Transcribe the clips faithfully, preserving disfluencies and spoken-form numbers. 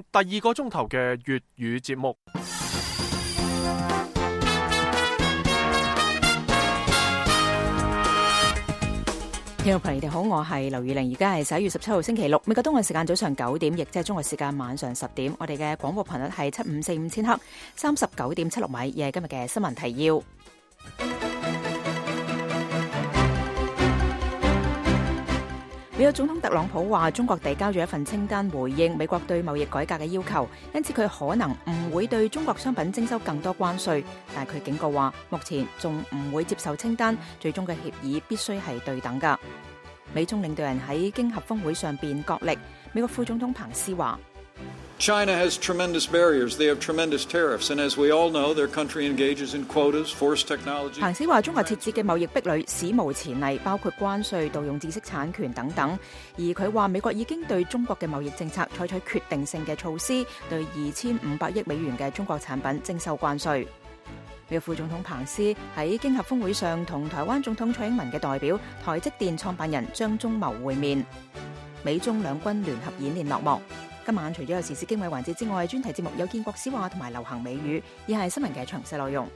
第二個鐘頭嘅粵語節目。聽眾朋友你哋好，我係劉宇玲，而家係十一月十七號星期六，美國東岸時間早上九點，亦即係中國時間晚上十點。我哋嘅廣播頻率係七五四五千赫，三十九點七六米，亦係今日嘅新聞提要。美國總統特朗普話，中國遞交咗一份清單回應美國對貿易改革嘅要求，因此佢可能唔會對中國商品徵收更多關稅，但係佢警告話，目前仲唔會接受清單，最終嘅協議必須係對等㗎。美中領導人喺經合峰會上邊角力，美國副總統彭斯話China has tremendous barriers. They have tremendous tariffs. And as we all know, their country engages in quotas, forced technology. 彭斯話中國設置嘅貿易壁壘史無前例，包括關稅、盜用知識產權等等。而佢話美國已經對中國嘅貿易政策採取決定性嘅措施，對二千五百億美元嘅中國產品徵收關稅。美國副總統彭斯喺經合峰會上同台灣總統蔡英文嘅代表台積電創辦人張忠謀會面，美中兩軍聯合演練落幕。今晚除咗有時事經緯環節之外，專題節目有建國史話同埋流行美語，以下係新聞嘅詳細內容。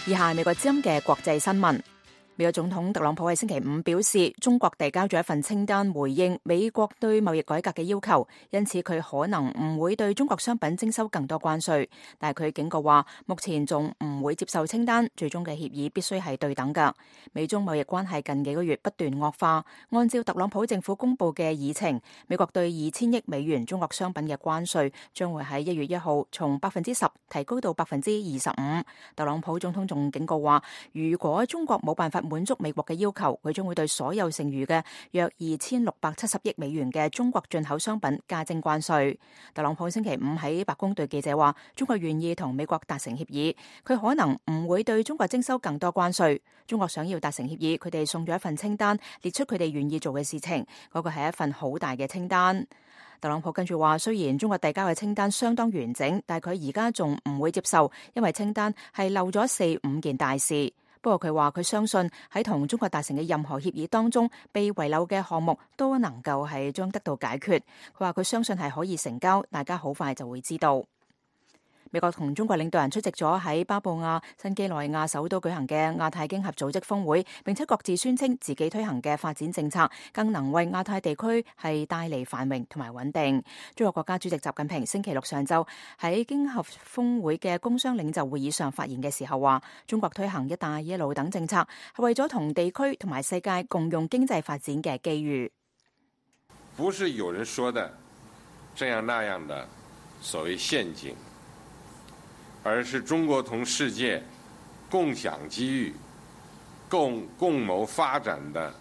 以下係美國之音嘅國際新聞。美國總統特朗普喺星期五表示，中國遞交咗一份清單回應美國對貿易改革嘅要求，因此佢可能唔會對中國商品徵收更多關稅。但係佢警告話，目前仲唔會接受清單，最終嘅協議必須係對等㗎。美中貿易關係近幾個月不斷惡化，按照特朗普政府公布嘅議程，美國對二千億美元中國商品嘅關稅將會喺一月一號從百分之十提高到百分之二十五。特朗普總統仲警告話，如果中國冇辦法滿足美國嘅要求，佢將會對所有剩餘嘅約二千六百七十億美元嘅中國進口商品加徵關稅。特朗普星期五喺白宮對記者話，中國願意同美國達成協議，佢可能唔會對中國徵收更多關稅。中國想要達成協議，佢哋送咗一份清單，列出佢哋願意做嘅事情，嗰個係一份好大嘅清單。特朗普跟住話，雖然中國遞交嘅清單相當完整，但係佢而家仲唔會接受，因為清單係漏咗四五件大事。不過佢話佢相信喺同中國達成嘅任何協議當中，被遺漏嘅項目都能夠係將得到解決。佢話佢相信係可以成交，大家好快就會知道。美國同中國領導人出席咗喺巴布亞新幾內亞首都舉行嘅亞太經合組織峰會，並且各自宣稱自己推行嘅發展政策更能為亞太地區係帶嚟繁榮同埋穩定。中國國家主席習近平星期六上晝喺經合峰會嘅工商領袖會議上發言嘅時候話，中國推行一帶一路等政策係為咗同地區同埋世界共用經濟發展嘅機遇。不是有人說的這樣那樣的所謂陷阱，而是中國同世界共享機遇、共共謀發展的。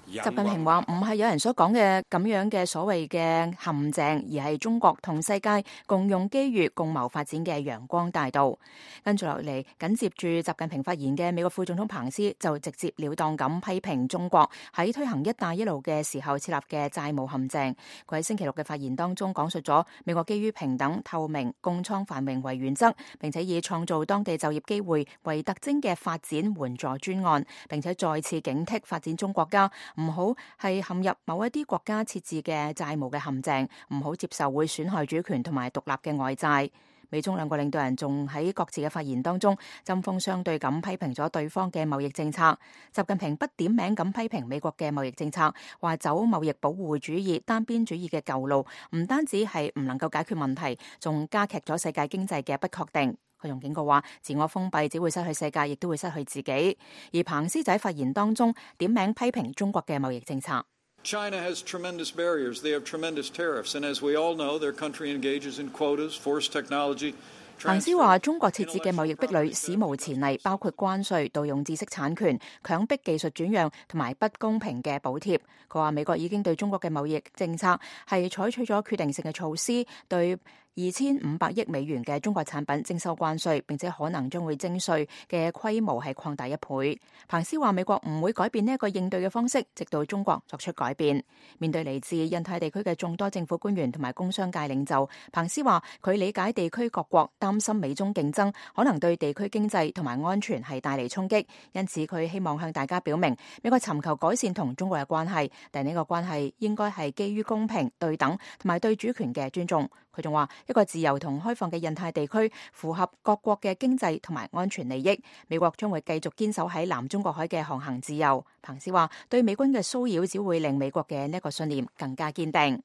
習近平話唔係有人所講嘅咁樣嘅所謂嘅陷阱，而係中國同世界共用機遇、共謀發展嘅陽光大道。跟住落嚟，緊接住習近平發言嘅美國副總統彭斯就直接了當咁批評中國喺推行一帶一路嘅時候設立嘅債務陷阱。佢喺星期六嘅發言當中講述咗美國基於平等、透明、共創繁榮為原則，並且以創造當地就業機會為特徵嘅發展援助專案，並且再次警惕發展中國家唔好係陷入某一啲國家設置嘅債務嘅陷阱，唔好接受會損害主權同埋獨立嘅外債。美中兩個領導人仲喺各自嘅發言當中針鋒相對咁批評咗對方嘅貿易政策。習近平不點名咁批評美國嘅貿易政策，話走貿易保護主義、單邊主義嘅舊路，唔單止係唔能夠解決問題，仲加劇咗世界經濟嘅不確定。佢仲警告話，自我封閉只會失去世界，亦都會失去自己。而彭斯仔發言當中點名批評中國嘅貿易政策。China has tremendous barriers. They have tremendous tariffs. And as we all know, their country engages in quotas, forced technology. 彭斯話中國設置嘅貿易壁壘史無前例，包括關稅、盜用知識產權、強迫技術轉讓同埋不公平嘅補貼。佢話美國已經對中國嘅貿易政策係採取咗決定性嘅措施，對二千五百億美元嘅中國產品徵收關稅，並且可能將會徵稅嘅規模係擴大一倍。彭斯話美國唔會改變呢一個應對嘅方式，直到中國作出改變。面對嚟自印太地區嘅眾多政府官員同埋工商界領袖，彭斯話佢理解地區各國擔心美中競爭可能對地區經濟同埋安全係帶嚟衝擊，因此佢希望向大家表明美國尋求改善同中國嘅關係，但呢個關係應該係基於公平、對等同埋對主權嘅尊重。佢仲話一個自由同開放嘅印太地區符合各國嘅經濟同埋安全利益，美國將會繼續堅守喺南中國海嘅航行自由。彭斯話對美軍嘅騷擾只會令美國嘅呢一個信念更加堅定。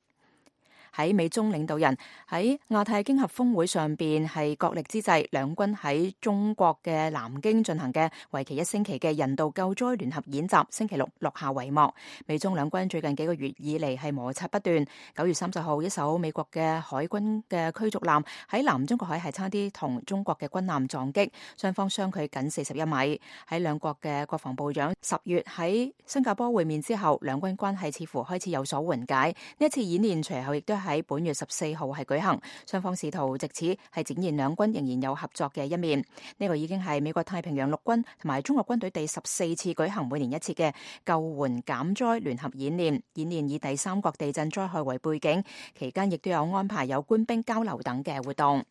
喺美中領導人喺亞太經合峰會上邊係角力之際，兩軍喺中國嘅南京進行嘅為期一星期嘅人道救災聯合演習，星期六落下帷幕。美中兩軍最近幾個月以嚟係摩擦不斷。九月三十號，一艘美國嘅海軍嘅驅逐艦喺南中國海係差啲同中國嘅軍艦撞擊，雙方相距僅四十一米。喺兩國嘅國防部長十月喺新加坡會面之後，兩軍關係似乎開始有所緩解。呢一次演練隨後亦都喺本月十四號係舉行，雙方試圖藉此係展現兩軍仍然有合作嘅一面。呢個已經係美國太平洋陸軍同埋中國軍隊第十四次舉行每年一次嘅救援減災聯合演練。演練以第三國地震災害為背景，期間亦都有安排有官兵交流等嘅活動。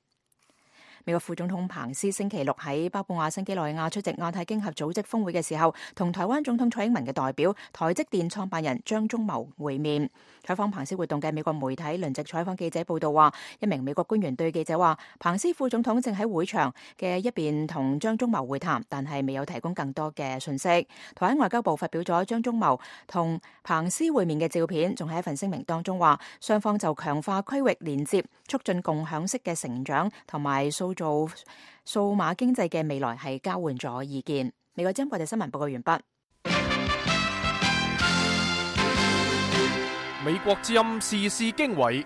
美國副總統彭斯星期六喺巴布亞新幾內亞出席亞太經合組織峰會嘅時候，同台灣總統蔡英文嘅代表台積電創辦人張忠謀會面。採訪彭斯活動嘅美國媒體輪值採訪記者報道話，一名美國官員對記者話，彭斯副總統正喺會場嘅一邊同張忠謀會談，但係未有提供更多嘅信息。台灣外交部發表咗張忠謀同彭斯會面嘅照片，仲喺一份聲明當中話，雙方就強化區域連接、促進共享式嘅成長同埋塑造數碼經濟嘅未來係交換咗意見。美國之音國際新聞報告完畢。美國之音時事經緯，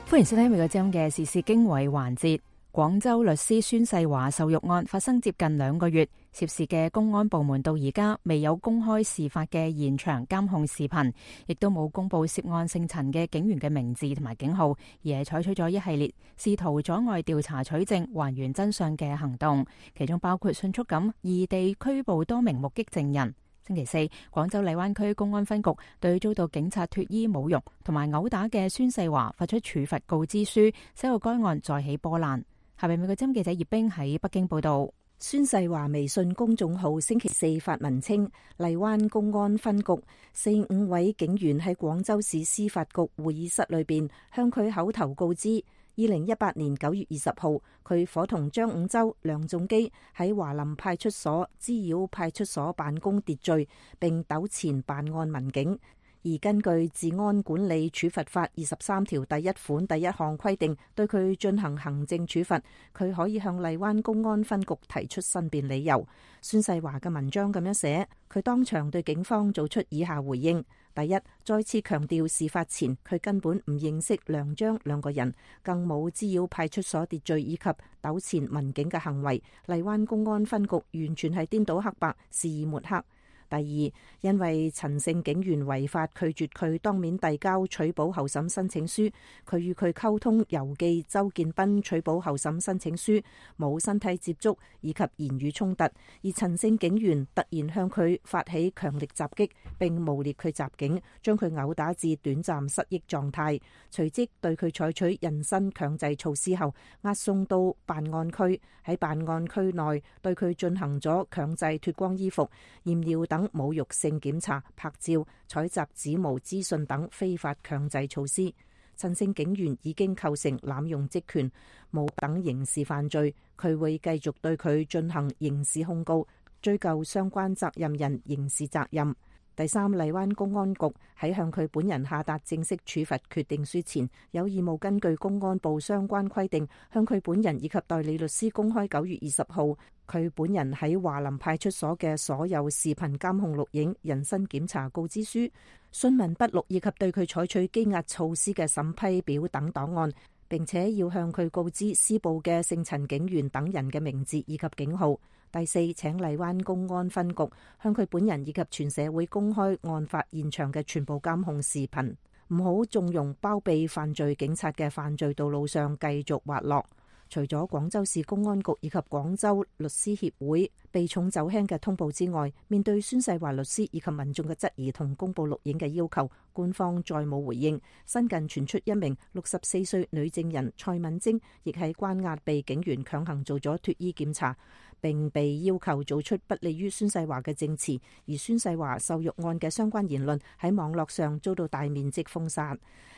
歡迎收聽美國之音嘅時事經緯環節。廣州律師孫世華受辱案發生接近兩個月，涉事嘅公安部門到而家未有公開事發嘅現場監控視頻，亦都冇公布涉案姓陳嘅警員嘅名字同埋警號，而係採取咗一系列試圖阻礙調查取證、還原真相嘅行動，其中包括迅速咁異地拘捕多名目擊證人。星期四，廣州荔灣區公安分局對遭到警察脫衣侮辱同埋毆打嘅孫世華發出處罰告知書，使到該案再起波瀾。下邊美國之音記者葉冰喺北京報道。孫世華微信公眾號星期四發文稱，荔灣公安分局四五位警員喺廣州市司法局會議室裏邊向佢口頭告知，二零一八年九月二十號，佢伙同張五洲、梁仲基喺華林派出所滋擾派出所辦公秩序，並糾纏辦案民警。而根據《治安管理處罰法》二十三條第一款第一項規定，對佢進行行政處罰，佢可以向荔灣公安分局提出申辯理由。孫世華嘅文章咁樣寫，佢當場對警方做出以下回應：第一，再次強調事發前佢根本唔認識梁張兩個人，更冇滋擾派出所秩序以及糾纏民警嘅行為。荔灣公安分局完全係顛倒黑白，肆意抹黑。第二，因為陳姓警員違法拒絕佢當面遞交取保候審申請書，佢與佢溝通郵寄周建斌取保候審申請書，冇身體接觸以及言語衝突，而陳姓警員突然向佢發起強力襲擊，並誣衊佢襲警，將佢毆打至短暫失憶狀態，隨即對佢採取人身強制措施後，押送到辦案區，喺辦案區內對佢進行咗強制脫光衣服、驗尿等侮辱性檢查、拍照、採集指模資訊等非法強制措施。陳姓警員已經構成濫用職權、冇等刑事犯罪，佢會繼續對佢進行刑事控告，追究相關責任人刑事責任。第三，荔灣公安局喺向佢本人下達正式處罰決定書前，有義務根據公安部相關規定，向佢本人以及代理律師公開九月二十號佢本人喺華林派出所嘅所有視頻監控錄影、人身檢查告知書、訊問筆錄以及對佢採取羈押措施嘅審批表等檔案，並且要向佢告知施暴嘅姓陳警員等人嘅名字以及警號。第四，請荔灣公安分局向佢本人以及全社會公開案發現場嘅全部監控視頻。唔好縱容包庇犯罪警察嘅犯罪道路上繼續滑落。除咗廣州市公安局以及廣州律師協會避重就輕嘅通報之外，面對孫世華律師以及民眾嘅質疑同公佈錄影嘅要求，官方再冇回應。新近傳出一名六十四歲女證人蔡敏貞亦喺關押被警員強行做咗脫衣檢查，並被要求做出不利於孫世華嘅證詞，而孫世華受辱案嘅相關言論喺網絡上遭到大面積封殺。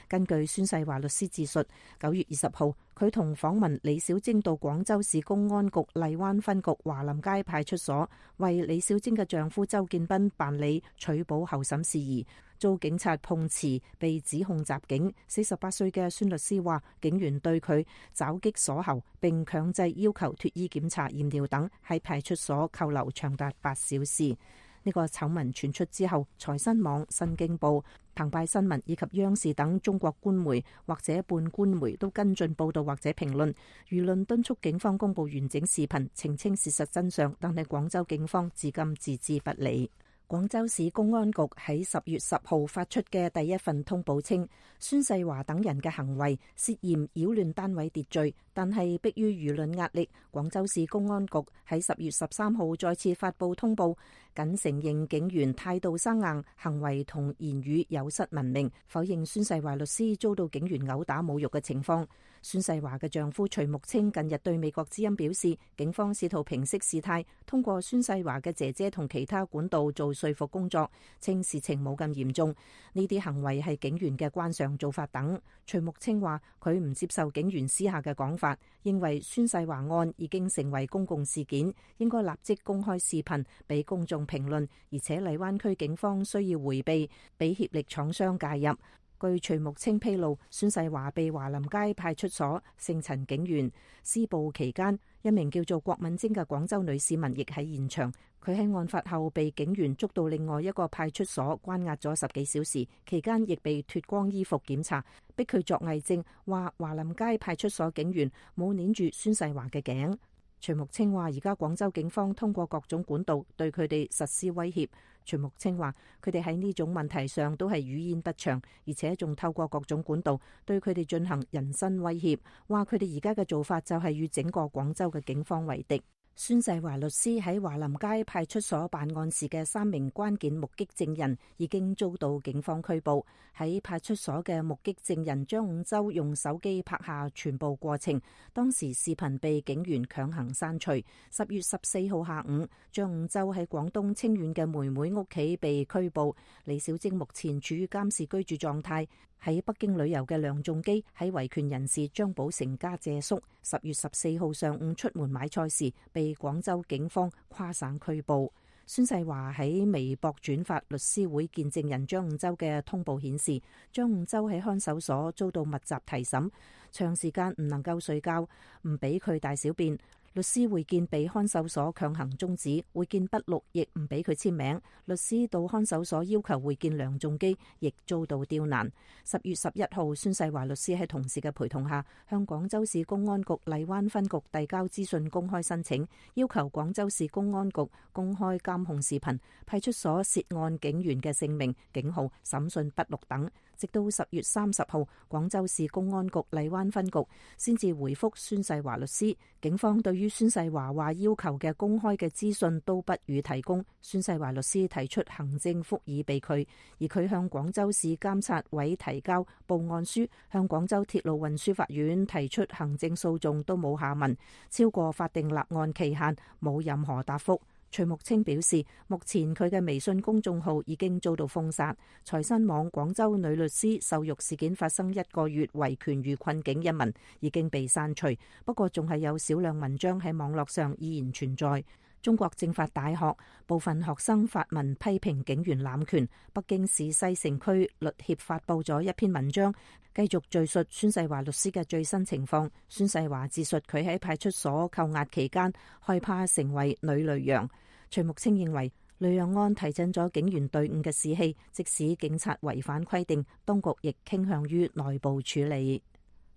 根據孫世華律師自述，九月二十號，佢同訪問李小貞到廣州市公安局荔灣分局華林街派出所，為李小貞嘅丈夫周建斌辦理取保候審事宜，遭警察碰瓷，被指控襲警。四十八歲嘅孫律師話，警員對佢爪擊鎖喉，並強制要求脫衣檢查、驗尿等，喺派出所扣留長達八小時。呢個醜聞傳出之後，財新網、新京報、澎湃新聞以及央視等中國官媒或者半官媒都跟進報導或者評論，輿論敦促警方公佈完整視頻，澄清事實真相，但係廣州警方至今置之不理。廣州市公安局喺十月十號發出嘅第一份通報稱，孫世華等人嘅行為涉嫌擾亂單位秩序，但係迫於輿論壓力，廣州市公安局喺十月十三號再次發布通報，僅承認警員態度生硬，行為同言語有失文明，否認孫世華律師遭到警員毆打侮辱嘅情況。孫世華嘅丈夫徐木清近日對美國之音表示，警方試圖平息事態，通過孫世華嘅姐姐同其他管道做說服工作，稱事情冇咁嚴重，呢啲行為係警員嘅慣常做法等。徐木清話佢唔接受警員私下嘅講法，認為孫世華案已經成為公共事件，應該立即公開視頻俾公眾評論，而且荔灣區警方需要迴避俾協力廠商介入。據徐木清披露，孫世華被華林街派出所姓陳警員施暴期間，一名叫做郭敏貞嘅廣州女市民亦喺現場。佢喺案發後被警員捉到另外一個派出所關押咗十幾小時，期間亦被脫光衣服檢查，逼佢作偽證，話華林街派出所警員冇捏住孫世華嘅頸。徐木清話：而家廣州警方通過各種管道對佢哋實施威脅。徐木清話：佢哋喺呢種問題上都係語焉不詳，而且仲透過各種管道對佢哋進行人身威脅。話佢哋而家嘅做法就係與整個廣州嘅警方為敵。孫世華律師喺華林街派出所辦案時嘅三名關鍵目擊證人已經遭到警方拘捕。喺派出所嘅目擊證人張五洲用手機拍下全部過程，當時視頻被警員強行刪除。十月十四號下午，張五洲喺廣東清遠嘅妹妹屋企被拘捕。李小貞目前處於監視居住狀態。喺北京旅遊嘅梁仲基喺維權人士張寶成家借宿，十月十四號上午出門買菜時被廣州警方跨省拘捕。孫世華喺微博轉發律師會見證人張五洲嘅通報顯示，張五洲喺看守所遭到密集提審，長時間唔能夠睡覺，唔俾佢大小便。律師會見被看守所強行終止，會見筆錄亦唔俾佢簽名。律師到看守所要求會見梁仲基，亦遭到刁難。十月十一號，孫世華律師喺同事嘅陪同下，向廣州市公安局荔灣分局遞交資訊公開申請，要求廣州市公安局公開監控視頻、派出所涉案警員嘅姓名、警號、審訊筆錄等。直到十月三十號，廣州市公安局荔灣分局先至回覆孫世華律師，警方對於孫世華話要求嘅公開嘅資訊都不予提供。孫世華律師提出行政復議被拒，而佢向廣州市監察委提交報案書，向廣州鐵路運輸法院提出行政訴訟都冇下文，超過法定立案期限冇任何答覆。徐木清表示，目前佢嘅微信公眾號已經遭到封殺。財新網廣州女律師受辱事件發生一個月，維權遇困境一文已經被刪除，不過仲係有少量文章喺網絡上依然存在。中國政法大學部分學生發文批評警員濫權。北京市西城區律協發布咗一篇文章，繼續敘述孫世華律師嘅最新情況。孫世華自述佢喺派出所扣押期間，害怕成為女雷洋。徐木清認為，雷洋案提振咗警員隊伍嘅士氣，即使警察違反規定，當局亦傾向於內部處理。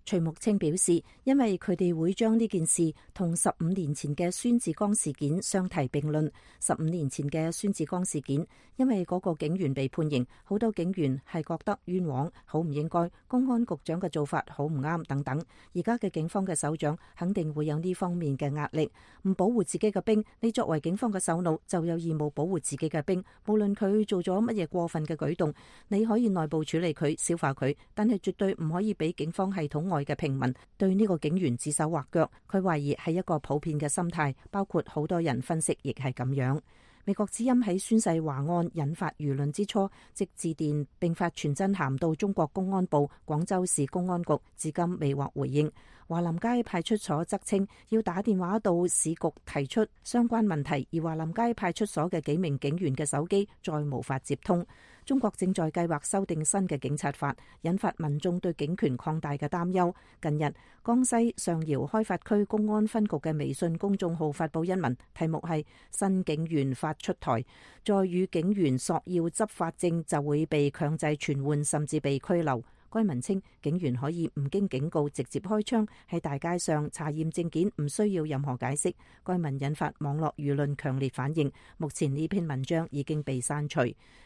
徐木清表示，因為佢哋會將呢件事同十五年前嘅孫志剛事件相提並論。十五年前嘅孫志剛事件，因為嗰個警員被判刑，好多警員係覺得冤枉，好唔應該，公安局長嘅做法好唔啱等等。而家嘅警方嘅首長肯定會有呢方面嘅壓力，唔保護自己嘅兵，你作為警方嘅首腦就有義務保護自己嘅兵，無論佢做咗乜嘢過分嘅舉動，你可以內部處理佢、消化佢，但係絕對唔可以俾警方系統外嘅平民對呢個警員指手畫腳。佢懷疑係一個普遍嘅心態，包括好多人分析亦係咁樣。美國之音喺宣誓華案引發輿論之初，即致電並發傳真函到中國公安部廣州市公安局，至今未獲回應。華林街派出所則稱要打電話到市局提出相關問題，而華林街派出所嘅幾名警員嘅手機再無法接通。中國正在計劃修訂新嘅警察法，引發民眾對警權擴大嘅擔憂。近日，江西上饒開發區公安分局嘅微信公眾號發布一文，題目係新警員法出台，再與警員索要執法證就會被強制傳喚，甚至被拘留。該文稱警員可以唔經警告直接開槍，喺大街上查驗證件，唔需要任何解釋。該文引發網絡輿論強烈反應，目前呢篇文章已經被刪除。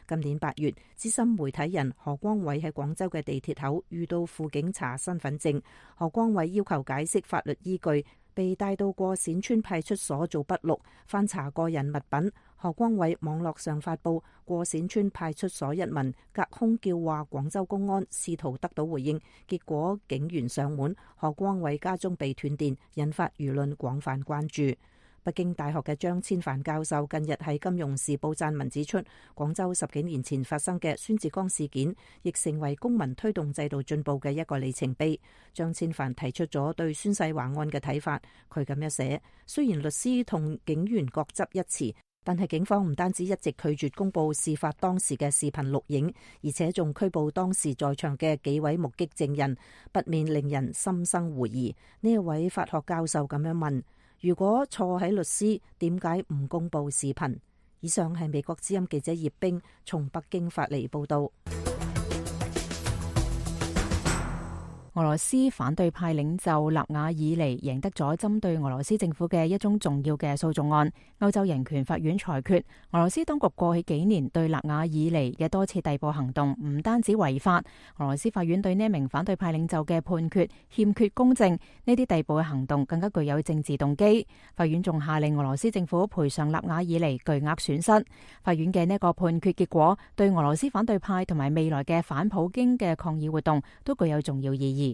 今年八月，資深媒體人何光偉喺廣州嘅地鐵口遇到輔警查身份證，何光偉要求解釋法律依據，被帶到過冼村派出所做筆錄，翻查個人物品。何光偉網絡上發布過冼村派出所一文，隔空叫話廣州公安，試圖得到回應，結果警員上門，何光偉家中被斷電，引發輿論廣泛關注。北京大學嘅張千帆教授近日喺《金融時報》撰文指出，廣州十幾年前發生嘅孫志剛事件，亦成為公民推動制度進步嘅一個里程碑。張千帆提出咗對宣誓華案嘅睇法，佢咁樣寫：雖然律師同警員各執一詞，但係警方唔單止一直拒絕公布事發當時嘅視頻錄影，而且仲拘捕當時在場嘅幾位目擊證人，不免令人心生狐疑。呢一位法學教授咁樣問：如果錯喺律師，點解唔公布視頻？以上係美國之音記者葉冰從北京發嚟報道。俄羅斯反對派領袖納瓦爾尼贏得咗針對俄羅斯政府嘅一宗重要嘅訴訟案。歐洲人權法院裁決，俄羅斯當局過去幾年對納瓦爾尼嘅多次逮捕行動唔單止違法，俄羅斯法院對呢名反對派領袖嘅判決欠缺公正，呢啲逮捕嘅行動更加具有政治動機。法院仲下令俄羅斯政府賠償納瓦爾尼巨額損失。法院嘅呢個判決結果，對俄羅斯反對派同埋未來嘅反普京嘅抗議活動都具有重要意義。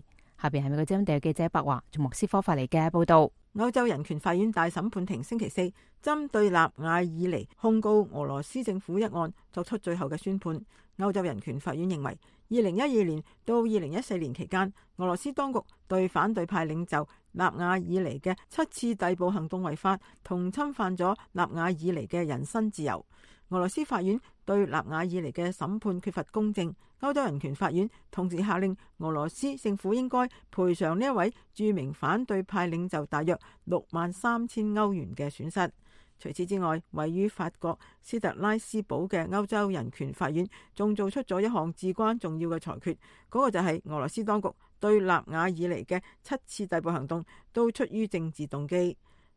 下邊係美國之音地記者白華從莫斯科發嚟嘅報道。歐洲人權法院大審判庭星期四針對納瓦爾尼控告俄羅斯政府一案作出最後嘅宣判。歐洲人權法院認為，二零一二年到二零一四年期間，俄羅斯當局對反對派領袖納瓦爾尼嘅七次逮捕行動違法，同侵犯咗納瓦爾尼嘅人身自由。俄羅斯法院對納瓦爾尼嘅審判缺乏公正。歐洲人權法院同時下令俄羅斯政府應該賠償呢一位著名反對派領袖大約六萬三千歐元嘅損失。除此之外，位於法國斯特拉斯堡嘅歐洲人權法院仲做出咗一項至關重要嘅裁決，嗰、那個就係俄羅斯當局對納瓦爾尼嘅七次逮捕行動都出於政治動機。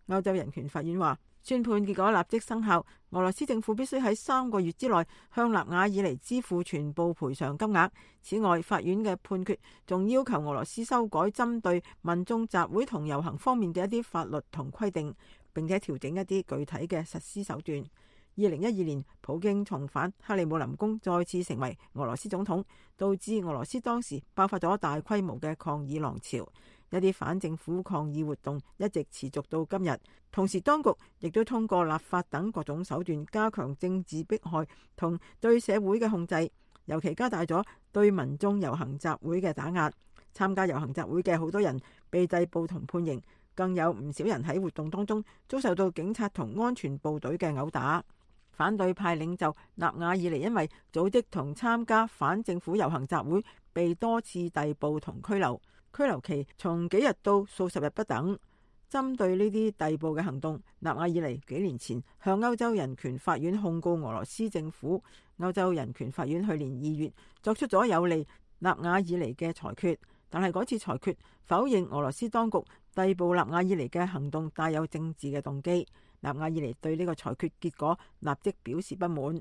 歐洲人權法院話，宣判結果立即生效，俄羅斯政府必須喺三個月之內向納瓦爾尼支付全部賠償金額。此外，法院嘅判決仲要求俄羅斯修改針對民眾集會同遊行方面嘅一啲法律同規定，並且調整一啲具體嘅實施手段。二零一二年，普京重返克里姆林宮，再次成為俄羅斯總統，導致俄羅斯當時爆發咗大規模嘅抗議浪潮。一啲反政府抗議活動一直持續到今日，同時當局亦都通過立法等各種手段加強政治迫害同對社會嘅控制，尤其加大咗對民眾遊行集會嘅打壓。參加遊行集會嘅好多人被逮捕同判刑，更有唔少人喺活動當中遭受到警察同安全部隊嘅毆打。反對派領袖納瓦爾尼因為組織同參加反政府遊行集會，被多次逮捕同拘留。拘留期從幾日到數十日不等。針對呢啲逮捕嘅行動，納瓦爾尼幾年前向歐洲人權法院控告俄羅斯政府。歐洲人權法院去年二月作出咗有利納瓦爾尼嘅裁決，但係嗰次裁決否認俄羅斯當局逮捕納瓦爾尼嘅行動帶有政治嘅動機。納瓦爾尼對呢個裁決結果立即表示不滿。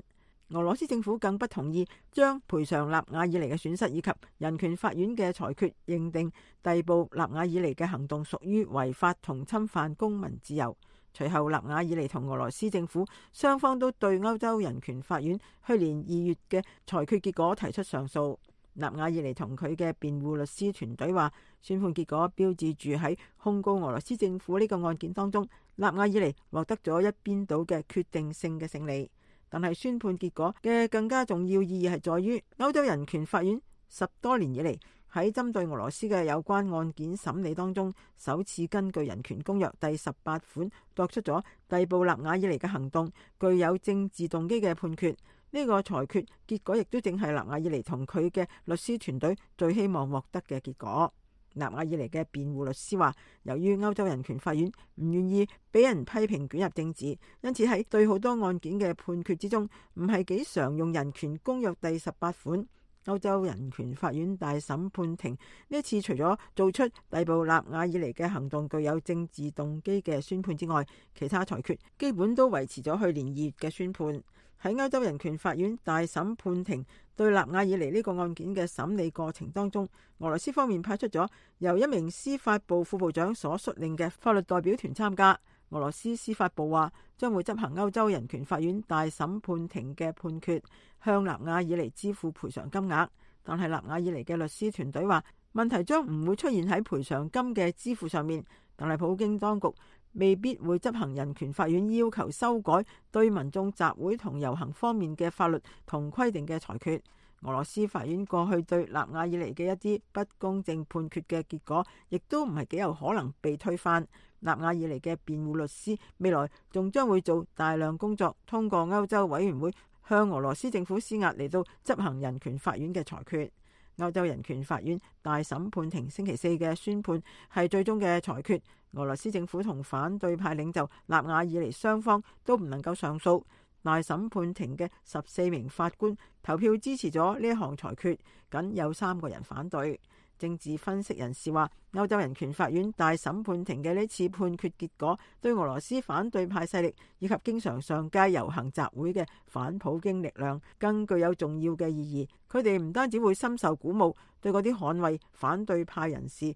俄羅斯政府更不同意將賠償納瓦爾尼嘅損失以及人權法院嘅裁決認定逮捕納瓦爾尼嘅行動屬於違法同侵犯公民自由。隨後，納瓦爾尼同俄羅斯政府雙方都對歐洲人權法院去年二月嘅裁決結果提出上訴。納瓦爾尼同佢嘅辯護律師團隊話，宣判結果標誌住喺控告俄羅斯政府呢個案件當中，納瓦爾尼獲得咗一邊倒嘅決定性嘅勝利。但係宣判結果嘅更加重要意義係在於歐洲人權法院十多年以嚟喺針對俄羅斯嘅有關案件審理當中，首次根據人權公約第十八款作出咗逮捕納瓦爾尼嘅行動具有政治動機嘅判決。呢個裁決結果亦都正係納瓦爾尼同佢嘅律師團隊最希望獲得嘅結果。納瓦爾尼嘅辯護律師話，由於歐洲人權法院唔願意俾人批評捲入政治，因此喺對好多案件嘅判決之中，唔係幾常用人權公約第十八款。歐洲人權法院大審判庭呢次除咗做出逮捕納瓦爾尼嘅行動具有政治動機嘅宣判之外，其他裁決基本都維持咗去年二月嘅宣判。喺歐洲人權法院大審判庭對納瓦爾尼呢個案件嘅審理過程當中，俄羅斯方面派出咗由一名司法部副部長所率領嘅法律代表團參加。俄羅斯司法部話將會執行歐洲人權法院大審判庭嘅判決，向納瓦爾尼支付賠償金額。但係納瓦爾尼嘅律師團隊話，問題將唔會出現喺賠償金嘅支付上面，但係普京當局未必會執行人權法院要求修改對民眾集會同遊行方面嘅法律同規定嘅裁決。俄羅斯法院過去對納瓦爾尼嘅一啲不公正判決嘅結果，亦都唔係幾有可能被推翻。納瓦爾尼嘅辯護律師未來仲將會做大量工作，通過歐洲委員會向俄羅斯政府施壓嚟到執行人權法院嘅裁決。歐洲人權法院大審判庭星期四嘅宣判係最終嘅裁決。俄羅斯政府同反對派領袖納瓦爾尼雙方都唔能夠上訴。大審判庭嘅十四名法官投票支持咗呢一項裁決，僅有三個人反對。政治分析人士話，歐洲人權法院大審判庭嘅呢次判決結果，對俄羅斯反對派勢力以及經常上街遊行集會嘅反普京力量更具有重要嘅意義。佢哋唔單止會深受鼓舞，對嗰啲捍衛反對派人士，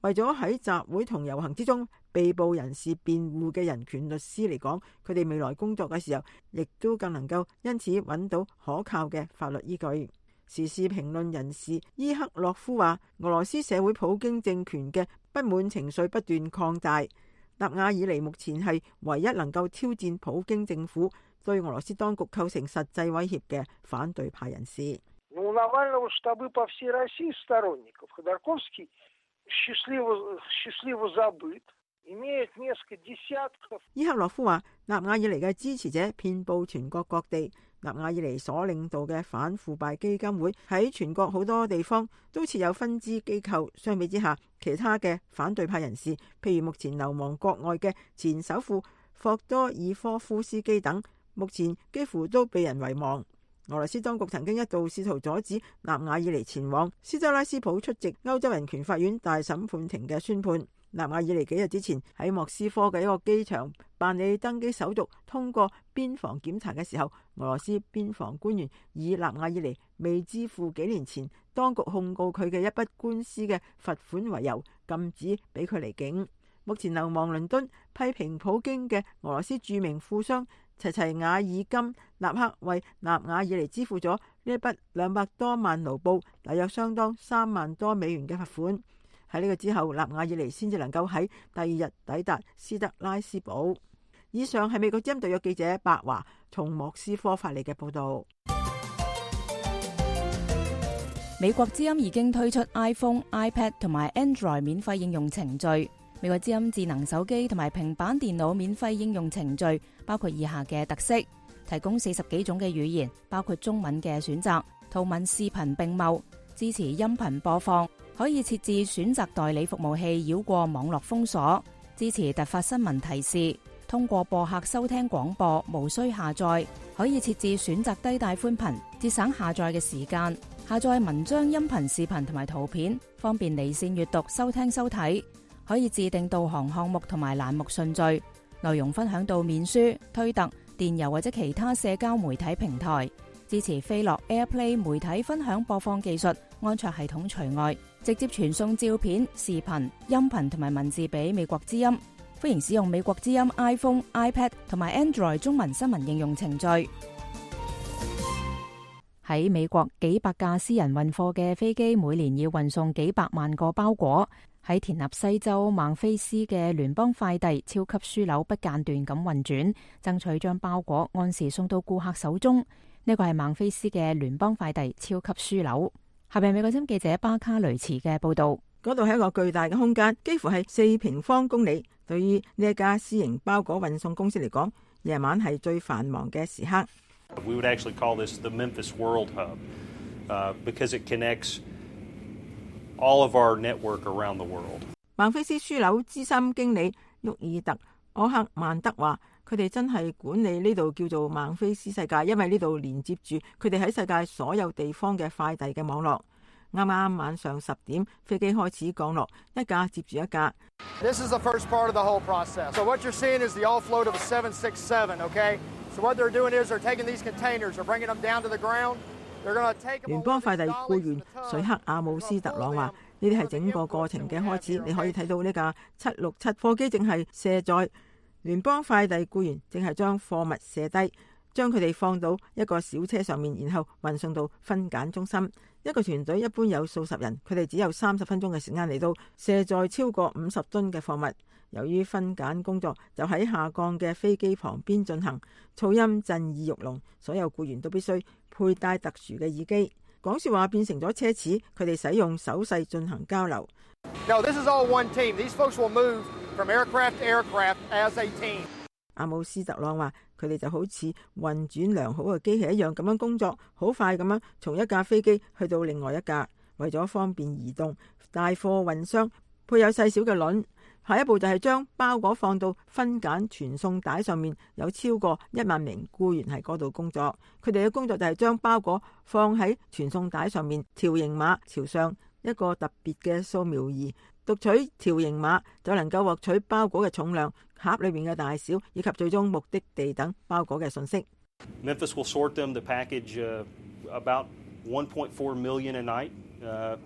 為咗喺集會同遊行之中被捕人士辯護嘅人權律師嚟講，佢哋未來工作嘅時候，亦都更能夠因此揾到可靠嘅法律依據。時事評論人士伊克洛夫話，俄羅斯社會普京政權嘅不滿情緒不斷擴大。納瓦爾尼目前係唯一能夠挑戰普京政府對俄羅斯當局構成實際威脅嘅反對派人士。伊克洛夫話，納瓦爾尼嘅支持者遍佈全國各地。納瓦爾尼所領導嘅反腐敗基金會喺全國好多地方都設有分支機構。相比之下，其他嘅反對派人士，譬如目前流亡國外嘅前首富霍多爾科夫斯基等，目前幾乎都被人遺忘。俄羅斯當局曾經一度試圖阻止納瓦爾尼前往斯特拉斯堡出席歐洲人權法院大審判庭嘅宣判。納瓦爾尼幾日之前喺莫斯科嘅一個機場辦理登機手續，通過邊防檢查嘅時候，俄羅斯邊防官員以納瓦爾尼未支付幾年前當局控告佢嘅一筆官司嘅罰款為由，禁止俾佢離境。目前流亡倫敦批評普京嘅俄羅斯著名富商齊齊瓦爾金立刻為納瓦爾尼支付咗呢一筆兩百多萬盧布，大約相當三萬多美元嘅罰款。喺呢個之後，納瓦爾尼先至能夠喺第二日抵達斯特拉斯堡。以上係美國之音特約記者白華從莫斯科發嚟嘅報道。美國之音已經推出 iPhone、iPad 同埋 Android 免費應用程序。美國之音智能手機同埋平板電腦免費應用程序包括以下嘅特色：提供四十幾種嘅語言，包括中文嘅選擇，圖文視頻並茂，支持音頻播放。可以設置選擇代理服務器繞過網絡封鎖，支持突發新聞提示，通過播客收聽廣播，無需下載。可以設置選擇低帶寬頻，節省下載嘅時間。下載文章、音頻、視頻同埋圖片，方便離線閱讀、收聽、收睇。可以自定導航項目同埋欄目順序，內容分享到面書、推特、電郵或者其他社交媒體平台。支持飛樂 AirPlay 媒體分享播放技術，安卓系統除外，直接傳送照片、視頻、音頻同埋文字俾美國之音。歡迎使用美國之音 iPhone、iPad 同埋 Android 中文新聞應用程序。喺美國，幾百架私人運貨嘅飛機每年要運送幾百萬個包裹。喺田納西州孟菲斯嘅聯邦快遞超級樞紐不間斷咁運轉，爭取將包裹按時送到顧客手中。呢個係孟菲斯嘅聯邦快遞超級樞紐。下邊美國之音記者巴卡雷茨嘅報道。嗰度係一個巨大嘅空間，幾乎係四平方公里。對於呢一家私營包裹運送公司嚟講，夜晚係最繁忙嘅時刻。We would actually call this the Memphis World Hub, uh, because it connects all of our network around the world. 孟菲斯樞紐資深經理沃爾特·柯克曼德話，佢哋真係管理呢度叫做孟菲斯世界，因為呢度連接住佢哋喺世界所有地方嘅快遞嘅網絡。啱啱晚上十點，飛機開始降落，一架接住一架。This is the first part of the whole process. So what you're seeing is the offload of a seven sixty-seven, okay? So what they're doing is they're taking these containers, they're bringing them down to the ground. 聯邦快遞僱員水克阿姆斯特朗話：呢啲係整個過程嘅開始。你可以睇到呢架七六七貨機正係卸載，聯邦快遞僱員正係將貨物卸低，將佢哋放到一個小車上面，然後運送到分揀中心。一個團隊一般有數十人，佢哋只有三十分鐘嘅時間嚟到卸載超過五十噸嘅貨物。由於分揀工作就喺下降嘅飛機旁邊進行，噪音震耳欲聾，所有僱員都必須佩戴特殊嘅耳機。講說話變成咗奢侈，佢哋使用手勢進行交流。No, this is all one team. These folks will move from aircraft to aircraft as a team. 阿姆斯特朗話：佢哋就好似運轉良好嘅機器一樣咁樣工作，好快咁樣從一架飛機去到另外一架。為咗方便移動，大貨運箱配有細小嘅輪。下一步就係將包裹放到分揀傳送帶上面，有超過一萬名僱員喺嗰度工作。佢哋嘅工作就係將包裹放喺傳送帶上面，條形碼朝上一個特別嘅掃描儀讀取條形碼，就能夠獲取包裹嘅重量、盒裏面嘅大小以及最終目的地等包裹嘅信息。Memphis will sort them. The package, uh, about one point four million a night, uh,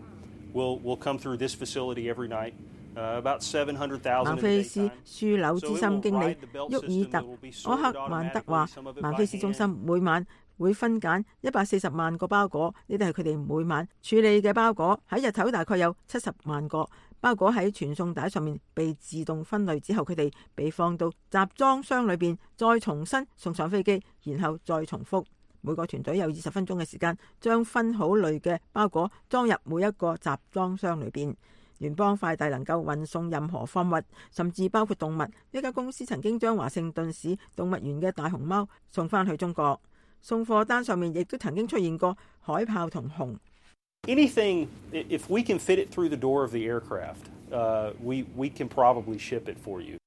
will will come through this facility every night. 孟菲斯樞紐資深經理沃爾特·柯克曼德話：孟菲斯中心每晚會分揀一百四十萬個包裹，呢啲係佢哋每晚處理嘅包裹。喺日頭大概有七十萬個包裹喺傳送帶上面被自動分類之後，佢哋被放到集裝箱裏邊，再重新送上飛機，然後再重複。每個團隊有二十分鐘嘅時間，將分好類嘅包裹裝入每一個集裝箱裏邊。聯邦快遞能夠運送任何貨物，甚至包括動物。呢間公司曾經將華盛頓市動物園嘅大熊貓送翻去中國。送貨單上面亦都曾經出現過海豹同熊。Anything, if we can fit it through the door of the aircraft, uh, we we can probably ship it for you.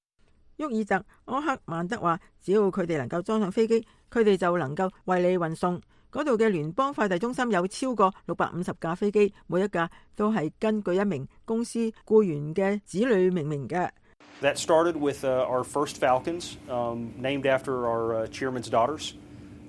沃爾特·柯克曼德話：只要佢哋能夠裝上飛機，佢哋就能夠為你運送。嗰度嘅聯邦快遞中心有超過六百五十架飛機，每一架都係根據一名公司僱員嘅子女命名嘅。That started with uh, our first Falcons, um, named after our uh, chairman's daughters,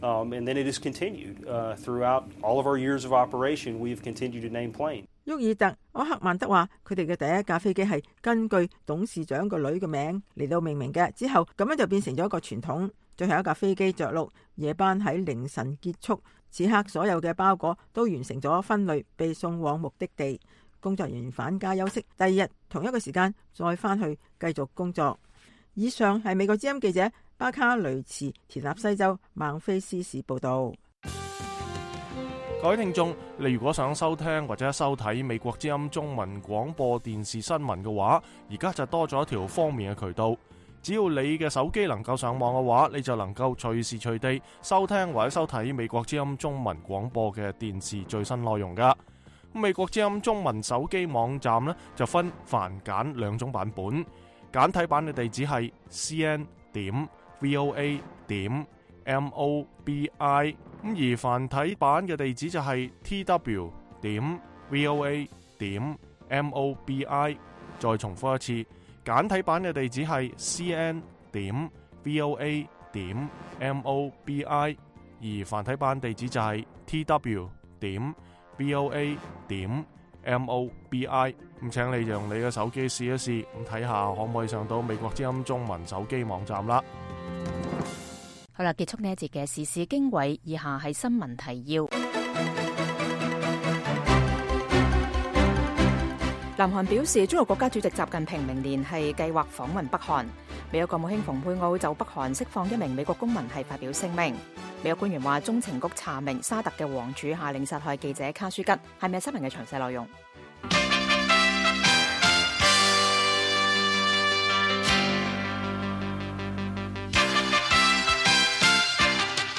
um, and then it has continued uh, throughout all of our years of operation. We have continued to name planes. 沃爾特·柯克曼德話：佢哋嘅第一架飛機係根據董事長個女嘅名嚟到命名嘅，之後咁樣就變成咗一個傳統。最後一架飛機着陸，夜班喺凌晨結束。此刻所有嘅包裹都完成咗分類，被送往目的地。工作人員返家休息，第二日同一個時間再返去繼續工作。以上係美國之音記者巴卡雷茨田納西州孟菲斯市報道。各位聽眾，你如果想收聽或者收睇美國之音中文廣播電視新聞嘅話，而家就多咗一條方便嘅渠道。只要你嘅手機能夠上網嘅話，你就能夠隨時隨地收聽或者收睇美國之音中文廣播嘅電視最新內容噶。美國之音中文手機網站呢，就分繁簡兩種版本，簡體版嘅地址係 c n 點 v o a 點 m o b i， 咁而繁體版嘅地址就係 t w 點 voa 點 mobi。再重複一次，簡體版嘅地址係 cn 點 voa 點 mobi， 而繁體版地址就係 tw 點 voa 點 mobi。咁請你用你嘅手機試一試，咁睇下可唔可以上到美國之音中文手機網站啦。好啦，結束呢一節嘅時事經緯，以下係新聞提要。南韓表示，中國國家主席習近平明年係計劃訪問北韓。美國國務卿蓬佩奧就北韓釋放一名美國公民係發表聲明。美國官員話，中情局查明沙特嘅王儲下令殺害記者卡舒吉。係咪新聞嘅詳細內容？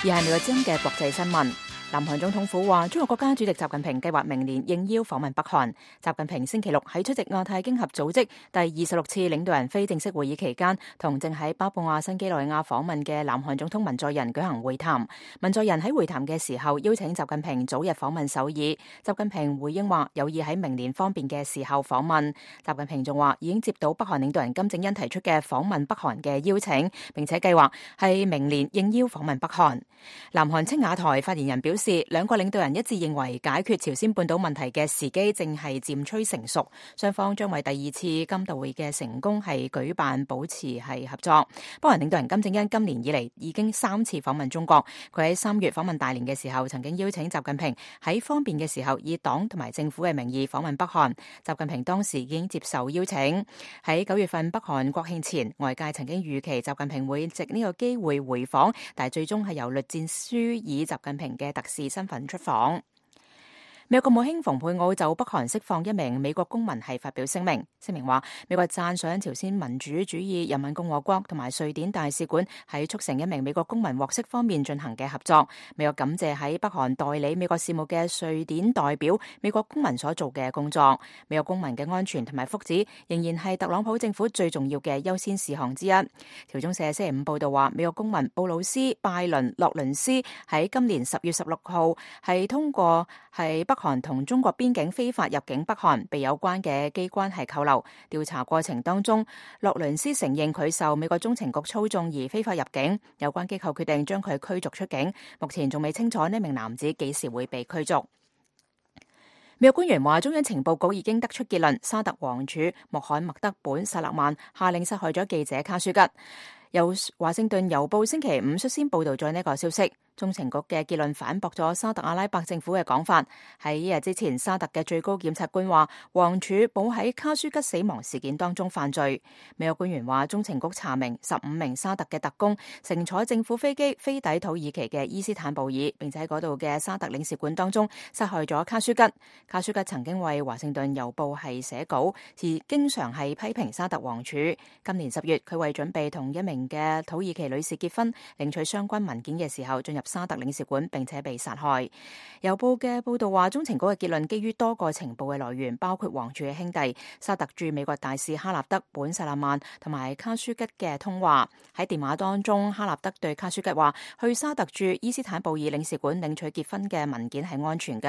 而係美國之音嘅國際新聞。南韓總統府話，中國國家主席習近平計劃明年應邀訪問北韓。習近平星期六喺出席亞太經合組織第二十六次領導人非正式會議期間，同正喺巴布亞新幾內亞訪問嘅南韓總統文在寅舉行會談。文在寅喺會談嘅時候邀請習近平早日訪問首爾。習近平回應話，有意喺明年方便嘅時候訪問。習近平仲話，已經接到北韓領導人金正恩提出嘅訪問北韓嘅邀請，並且計劃係明年應邀訪問北韓。南韓青瓦台發言人表示，兩個領導人一致認為解決朝鮮半島問題嘅時機正係漸趨成熟，雙方將為第二次金道會嘅成功係舉辦保持係合作。北韓領導人金正恩今年以嚟已經三次訪問中國，佢喺三月訪問大連嘅時候，曾經邀請習近平喺方便嘅時候以黨同埋政府嘅名義訪問北韓。習近平當時已經接受邀請。喺九月份北韓國慶前，外界曾經預期習近平會藉呢個機會回訪，但係最終係由栗戰書以習近平嘅特使身份出訪。美國國務卿蓬佩奧就北韓釋放一名美國公民係發表聲明，聲明話美國讚賞朝鮮民主主義人民共和國同埋瑞典大使館喺促成一名美國公民獲釋方面進行嘅合作。美國感謝喺北韓代理美國事務嘅瑞典代表美國公民所做嘅工作。美國公民嘅安全同埋福祉仍然係特朗普政府最重要嘅優先事項之一。朝中社星期五報道話，美國公民布魯斯拜倫洛倫斯喺今年十月十六號係通過係北韓同中國邊境非法入境北韓，被有關嘅機關係扣留。調查過程當中，洛倫斯承認佢受美國中情局操縱而非法入境，有關機構決定將佢驅逐出境。目前仲未清楚呢名男子幾時會被驅逐。美國官員話，中央情報局已經得出結論，沙特王儲穆罕默德本薩勒曼下令殺害咗記者卡舒吉。由華盛頓郵報星期五率先報道咗呢個消息。中情局嘅結論反駁咗沙特阿拉伯政府嘅講法。喺一日之前，沙特嘅最高檢察官話，王儲冇喺卡舒吉死亡事件當中犯罪。美國官員話，中情局查明十五名沙特嘅特工乘坐政府飛機飛抵土耳其嘅伊斯坦布爾，並且喺嗰度嘅沙特領事館當中殺害咗卡舒吉。卡舒吉曾經為華盛頓郵報係寫稿，而經常係批評沙特王儲。今年十月，佢為準備同一名嘅土耳其女士結婚，領取相關文件嘅時候進入沙特領事館，並且被殺害。郵報嘅報道話，中情局嘅結論基於多個情報嘅來源，包括王儲嘅兄弟沙特駐美國大使哈納德本薩勒曼同埋卡舒吉嘅通話。喺電話當中，哈納德對卡舒吉話，去沙特駐伊斯坦布爾領事館領取結婚嘅文件係安全㗎。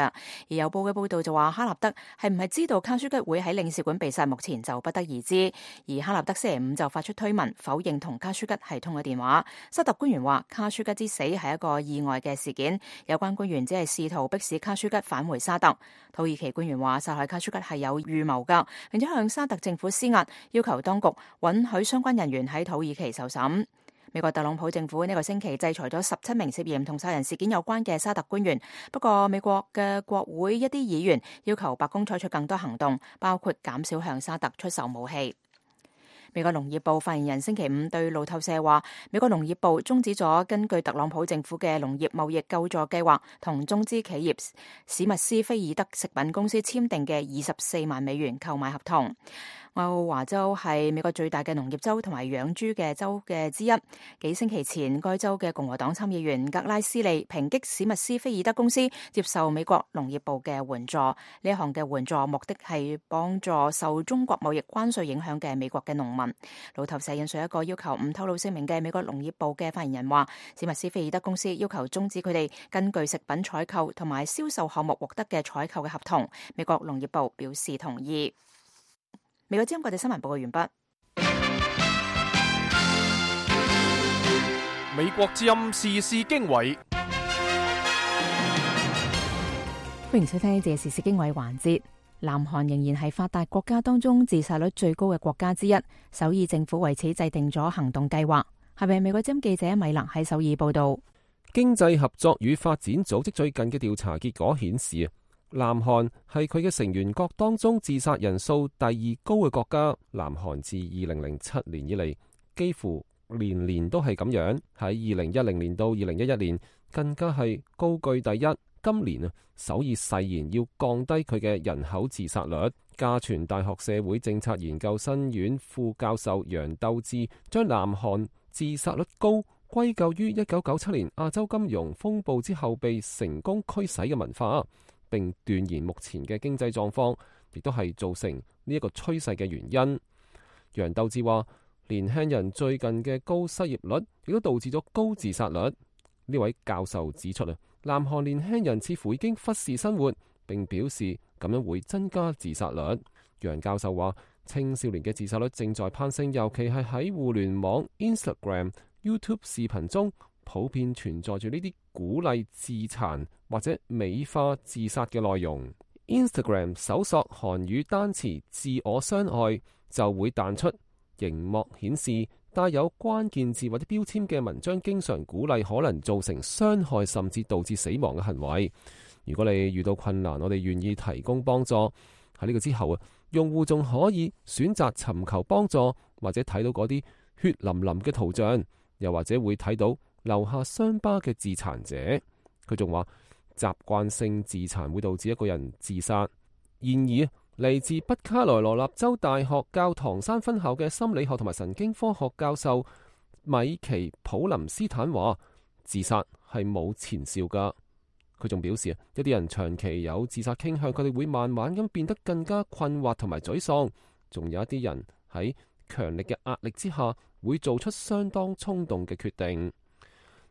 而郵報嘅報道就話，哈納德係唔係知道卡舒吉會喺領事館被殺，目前就不得而知。而哈納德星期五就發出推文否認同卡舒吉係通過電話。沙特官員話，卡舒吉之死係一個意外嘅事件，有關官員只係試圖迫使卡舒吉返回沙特。土耳其官員話，殺害卡舒吉係有預謀噶，並且向沙特政府施壓，要求當局允許相關人員喺土耳其受審。美國特朗普政府呢個星期制裁咗十七名涉嫌同殺人事件有關嘅沙特官員，不過美國嘅國會一啲議員要求白宮採取更多行動，包括減少向沙特出售武器。美國農業部發言人星期五對路透社話，美國農業部終止咗根據特朗普政府嘅農業貿易救助計劃同中資企業史密斯菲爾德食品公司簽訂嘅二十四萬美元購買合同。愛奧華州係美國最大嘅農業州同埋養豬嘅州嘅之一。幾星期前，該州嘅共和黨參議員格拉斯利抨擊史密斯菲爾德公司接受美國農業部嘅援助。呢一項嘅援助目的係幫助受中國貿易關稅影響嘅美國嘅農民。路透社引述一個要求唔透露姓名嘅美國農業部嘅發言人話，史密斯菲爾德公司要求終止佢哋根據食品採購同埋銷售項目獲得嘅採購嘅合同。美國農業部表示同意。美國之音國際新聞報告完畢。美國之音時事經緯，歡迎收聽呢節時事經緯環節。南韓仍然係發達國家當中自殺率最高嘅國家之一，首爾政府為此制定咗行動計劃。係咪美國之音記者米勒喺首爾報道？經濟合作與發展組織最近嘅調查結果顯示，南韓係佢嘅成員國當中自殺人數第二高嘅國家。南韓自二零零七年以嚟，幾乎年年都係咁樣。喺二零一零年到二零一一年，更加係高居第一。今年啊，首爾誓言要降低佢嘅人口自殺率。嘉傳大學社會政策研究生院副教授楊鬥智將南韓自殺率高歸咎於一九九七年亞洲金融風暴之後被成功驅使嘅文化，並斷言目前嘅經濟狀況亦都係造成呢一個趨勢嘅原因。楊鬥智話，年輕人最近嘅高失業率亦都導致咗高自殺率。呢位教授指出啊，南韓年輕人似乎已經忽視生活，並表示咁樣會增加自殺率。楊教授話，青少年嘅自殺率正在攀升，尤其係喺互聯網、Instagram、YouTube 視頻中，普遍存在住呢啲鼓勵自殘或者美化自殺嘅內容。Instagram 搜索韓語單詞自我傷害就會彈出熒幕顯示帶有關鍵字或者標籤嘅文章，經常鼓勵可能造成傷害甚至導致死亡嘅行為。如果你遇到困難，我哋願意提供幫助。喺呢個之後啊，用戶仲可以選擇尋求幫助，或者睇到嗰啲血淋淋嘅圖像，又或者會睇到留下傷疤嘅自殘者。佢仲話，習慣性自殘會導致一個人自殺。然而，嚟自北卡羅來納州大學教堂山分校嘅心理學同埋神經科學教授米奇普林斯坦話，自殺係冇前兆噶。佢仲表示啊，一啲人長期有自殺傾向，佢哋會慢慢咁變得更加困惑同埋沮喪。仲有一啲人喺強力嘅壓力之下，會做出相當衝動嘅決定。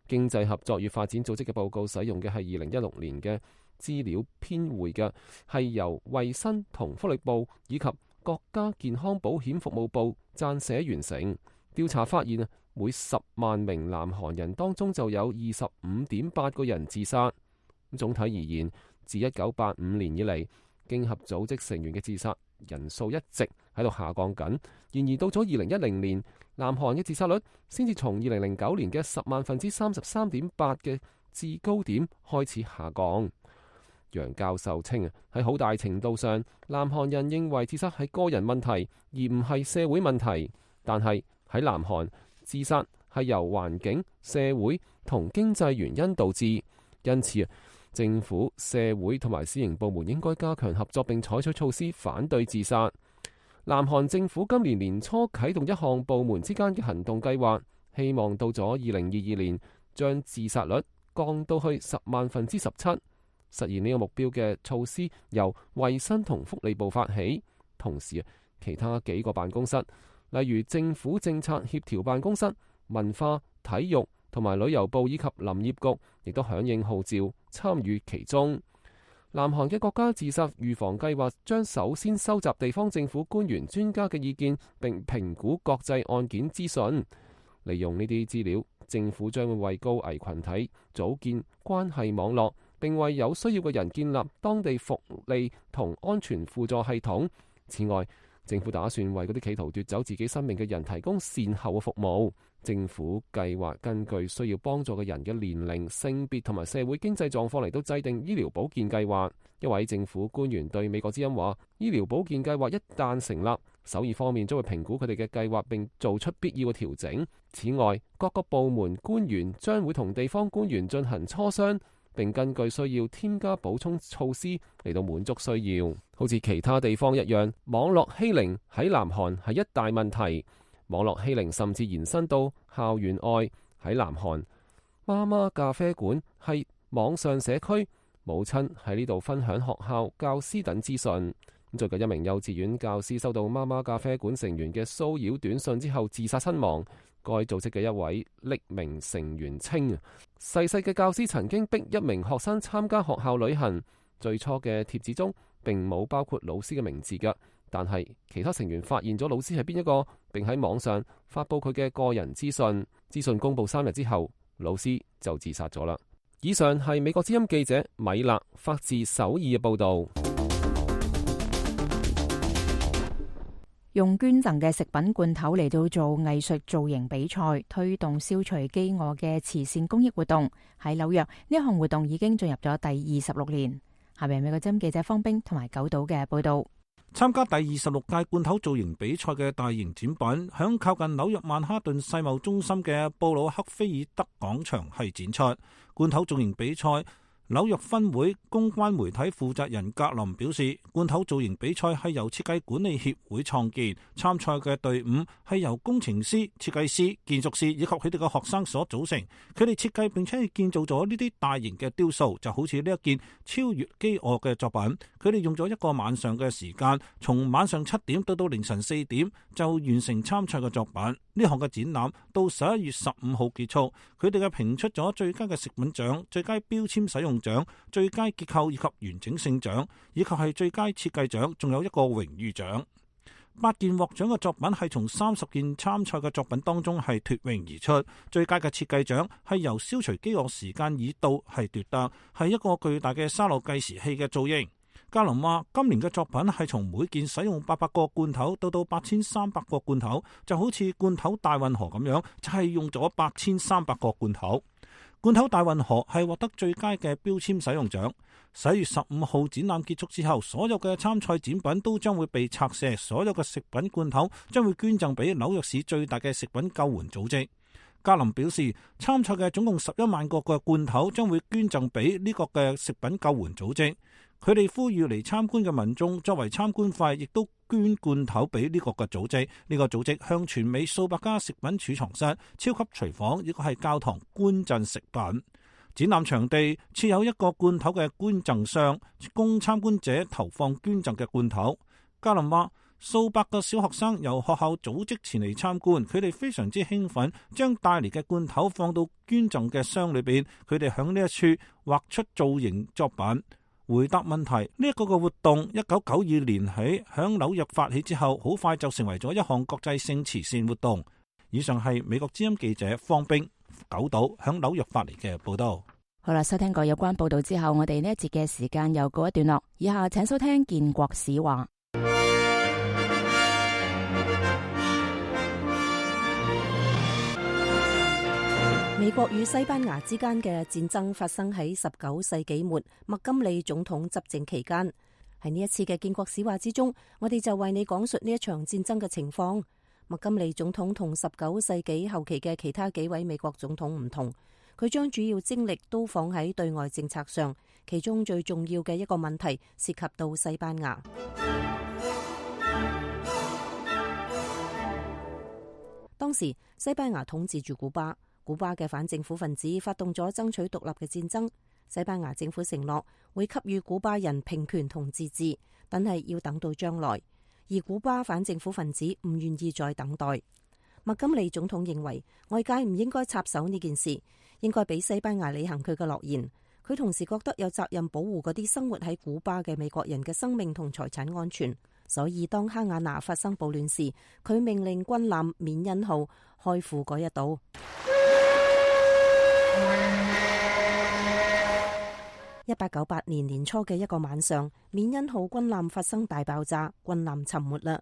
經濟合作與發展組織嘅報告使用嘅係二零一六年嘅資料編匯嘅，係由衛生同福利部以及國家健康保險服務部撰寫完成。調查發現啊，每十萬名南韓人當中就有二十五點八個人自殺。總體而言，自一九八五年以嚟，經合組織成員嘅自殺人數一直喺度下降緊。然而到咗二零一零年，南韓嘅自殺率先至從二零零九年嘅十萬分之三十三點八嘅至高點開始下降。楊教授稱啊，喺好大程度上，南韓人認為自殺係個人問題，而唔係社會問題。但係喺南韓，自殺係由環境、社會同經濟原因導致，因此啊，政府、社會同埋私營部門應該加強合作，並採取措施反對自殺。南韓政府今年年初啟動一項部門之間嘅行動計劃，希望到咗二零二二年將自殺率降到去十萬分之十七。實現呢個目標嘅措施由衛生同福利部發起，同時其他幾個辦公室，例如政府政策協調辦公室、文化、體育同埋旅遊部以及林業局，亦都響應號召參與其中。南韓嘅國家自殺預防計劃將首先收集地方政府官員專家嘅意見，並評估國際案件資訊。利用呢啲資料，政府將會為高危群體組建關係網絡，並為有需要嘅人建立當地福利同安全輔助系統。此外，政府打算為嗰啲企圖奪走自己生命嘅人提供善後嘅服務。政府計劃根據需要幫助嘅人嘅年齡、性別同埋社會經濟狀況嚟到制定醫療保健計劃。一位政府官員對美國之音話，醫療保健計劃一旦成立，首爾方面將會評估佢哋嘅計劃並做出必要嘅調整。此外，各個部門官員將會同地方官員進行磋商，並根據需要添加補充措施嚟到滿足需要。好似其他地方一樣，網絡欺凌喺南韓係一大問題。網絡欺凌甚至延伸到校園外。喺南韓，媽媽咖啡館係網上社區，母親喺呢度分享學校、教師等資訊。最近一名幼稚園教師收到媽媽咖啡館成員嘅騷擾短信之後自殺身亡。該組織嘅一位匿名成員稱，逝世嘅教師曾經逼一名學生參加學校旅行。最初嘅貼紙中並冇包括老師嘅名字㗎，但係其他成員發現咗老師係邊一個，並喺網上發佈佢嘅個人資訊。資訊公佈三日之後，老師就自殺咗啦。以上係美國之音記者米勒發自首爾嘅報導。用捐贈嘅食品罐頭嚟到做藝術造型比賽，推動消除飢餓嘅慈善公益活動。喺紐約，呢項活動已經進入咗第二十六年。下面美國之音記者方冰同埋九島嘅報導。參加第二十六屆罐頭造型比賽嘅大型展品，響靠近紐約曼哈頓世貿中心嘅布魯克菲爾德廣場係展出。罐頭造型比賽紐約分會公關媒體負責人格林表示，罐頭造型比賽係由設計管理協會創建，參賽嘅隊伍係由工程師、設計師、建築師以及佢哋嘅學生所組成。佢哋設計並且係建造咗呢啲大型嘅雕塑，就好似呢一件超越飢餓嘅作品。佢哋用咗一個晚上嘅時間，從晚上七點到到凌晨四點就完成參賽嘅作品。呢項嘅展覽到十一月十五號結束。佢哋嘅評出咗最佳嘅食品獎、最佳標籤使用獎、最佳結構以及完整性獎，以及係最佳設計獎，仲有一個榮譽獎。八件獲獎嘅作品係從三十件參賽嘅作品當中係脫穎而出。最佳嘅設計獎係由消除飢餓時間已到係奪得，係一個巨大嘅沙漏計時器嘅造型。格林話：今年嘅作品係從每件使用八百個罐頭到到八千三百個罐頭，就好似罐頭大運河咁樣，就係、是、用咗八千三百個罐頭。罐頭大運河係獲得最佳嘅標籤使用獎。十一月十五號展覽結束之後，所有嘅參賽展品都將會被拆卸，所有嘅食品罐頭將會捐贈俾紐約市最大嘅食品救援組織。格林表示，參賽嘅總共十一萬個嘅罐頭將會捐贈俾呢個嘅食品救援組織。佢哋呼籲嚟參觀嘅民眾作為參觀費，亦都捐罐頭俾呢個嘅組織。呢、這個組織向全美數百家食品儲藏室、超級廚房，亦或係教堂捐贈食品。展覽場地設有一個罐頭嘅捐贈箱，供參觀者投放捐贈嘅罐頭。格林話：數百個小學生由學校組織前嚟參觀，佢哋非常之興奮，將帶嚟嘅罐頭放到捐贈嘅箱裏邊。佢哋響呢一處畫出造型作品。回答問題呢一個嘅活動，一九九二年起響紐約發起之後，好快就成為咗一項國際性慈善活動。以上係美國之音記者方冰九島響紐約發嚟嘅報道。好啦，收聽過有關報道之後，我哋呢一節嘅時間又告一段落。以下請收聽建國史話。美國與西班牙之間嘅戰爭發生喺十九世紀末麥金利總統執政期間。喺呢一次嘅建國史話之中，我哋就為你講述呢一場戰爭嘅情況。麥金利總統同十九世紀後期嘅其他幾位美國總統唔同，佢將主要精力都放喺對外政策上，其中最重要嘅一個問題涉及到西班牙。當時西班牙統治住古巴。古巴嘅反政府分子發動咗爭取獨立嘅戰爭，西班牙政府承諾會給予古巴人平權同自治，但係要等到將來。而古巴反政府分子唔願意再等待。麥金利總統認為外界唔應該插手呢件事，應該俾西班牙履行佢嘅諾言。佢同時覺得有責任保護嗰啲生活喺古巴嘅美國人嘅生命同財產安全。所以當哈瓦那發生暴亂時，佢命令軍艦緬因號開赴嗰一島。一八九八年年初嘅一個晚上，緬因號軍艦發生大爆炸，軍艦沉沒啦。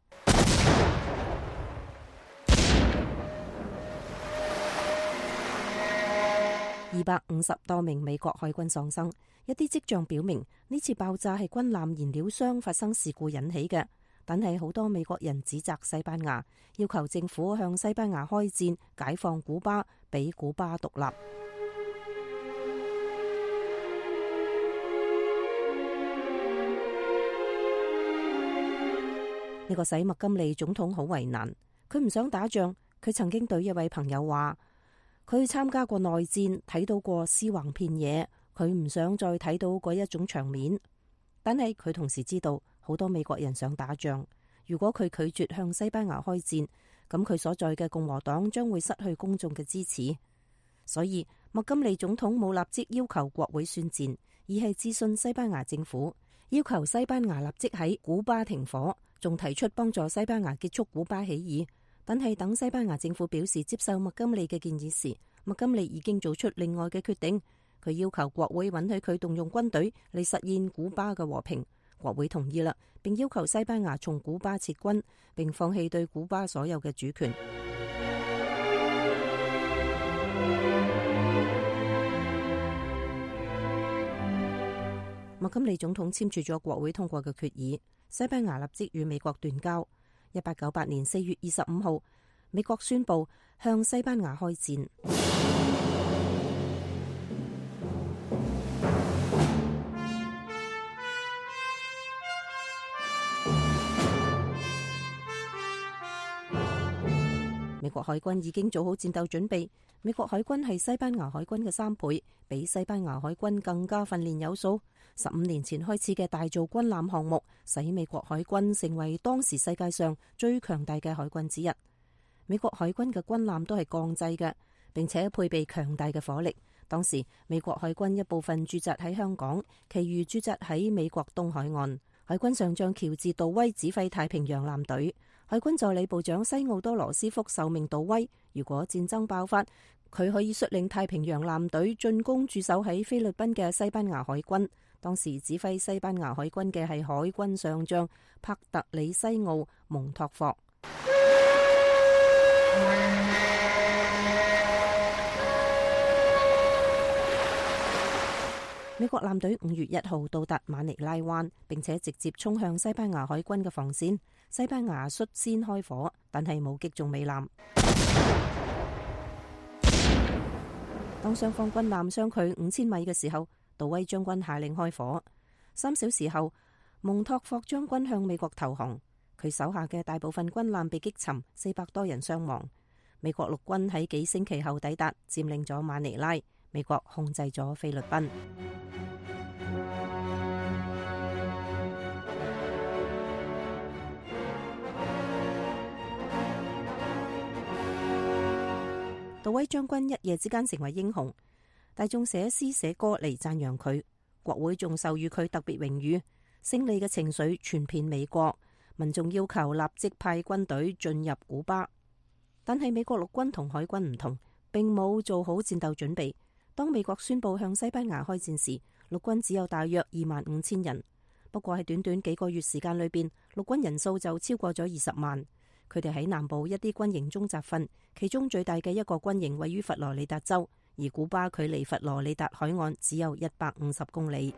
二百五十多名美國海軍喪生，一啲跡象表明呢次爆炸係軍艦燃料箱發生事故引起嘅。但係好多美國人指責西班牙，要求政府向西班牙開戰，解放古巴，俾古巴獨立。呢個使麥金利總統好為難，佢唔想打仗。佢曾經對一位朋友話，佢參加過內戰，睇到過屍橫遍野，佢唔想再睇到嗰一種場面。但係佢同時知道好多美國人想打仗，如果佢拒絕向西班牙開戰，咁佢所在嘅共和黨將會失去公眾嘅支持。所以麥金利總統冇立即要求國會宣戰，而係諮詢西班牙政府，要求西班牙立即喺古巴停火，仲提出幫助西班牙結束古巴起義。但係等西班牙政府表示接受麥金利嘅建議時，麥金利已經做出另外嘅決定。佢要求國會允許佢動用軍隊嚟實現古巴嘅和平，國會同意啦，並要求西班牙從古巴撤軍，並放棄對古巴所有嘅主權。麥金利總統簽署咗國會通過嘅決議，西班牙立即與美國斷交。一八九八年四月二十五號，美國宣布向西班牙開戰。美國海軍已經做好戰鬥準備。美國海軍係西班牙海軍嘅三倍，比西班牙海軍更加訓練有素。十五年前開始嘅大造軍艦項目，使美國海軍成為當時世界上最強大嘅海軍之一。美國海軍嘅軍艦都係鋼製嘅，並且配備強大嘅火力。當時美國海軍一部分駐紮喺香港，其餘駐紮喺美國東海岸。海軍上將喬治·杜威指揮太平洋艦隊，海軍助理部長西奧多·羅斯福受命杜威，如果戰爭爆發，佢可以率領太平洋艦隊進攻駐守喺菲律賓嘅西班牙海軍。當時指揮西班牙海軍嘅係海軍上將帕特里西奧·蒙托霍。美國艦隊五月一號到達馬尼拉灣，並且直接衝向西班牙海軍嘅防線。西班牙率先開火，但係冇擊中美艦。當雙方軍艦相距五千米嘅時候，杜威將軍下令開火。三小時後，蒙托霍將軍向美國投降，佢手下嘅大部分軍艦被擊沉，四百多人傷亡。美國陸軍喺幾星期後抵達，佔領咗馬尼拉，美國控制咗菲律賓。杜威將軍一夜之間成為英雄，大眾寫詩寫歌嚟讚揚佢，國會仲授予佢特別榮譽。勝利嘅情緒傳遍美國，民眾要求立即派軍隊進入古巴。但係美國陸軍同海軍唔同，並冇做好戰鬥準備。當美國宣布向西班牙開戰時，陸軍只有大約二萬五千人。不過喺短短幾個月時間裏邊，陸軍人數就超過咗二十萬。佢哋喺南部一啲軍營中集訓，其中最大嘅一個軍營位於佛羅里達州，而古巴距離佛羅里達海岸只有一百五十公里。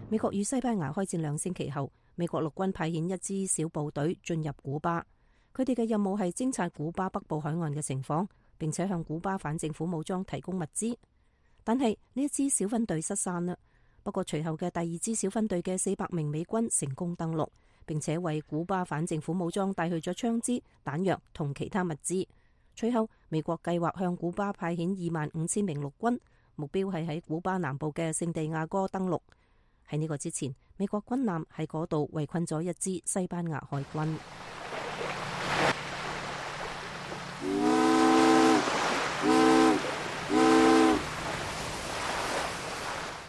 美國與西班牙開戰兩星期後，美國陸軍派遣一支小部隊進入古巴，佢哋嘅任務係偵察古巴北部海岸嘅情況，並且向古巴反政府武裝提供物資。但係呢一支小分隊失散啦。不過隨後嘅第二支小分隊嘅四百名美軍成功登陸，並且為古巴反政府武裝帶去咗槍支、彈藥同其他物資。隨後美國計劃向古巴派遣二萬五千名陸軍，目標係喺古巴南部嘅聖地亞哥登陸。喺呢個之前，美國軍艦喺嗰度圍困咗一支西班牙海軍。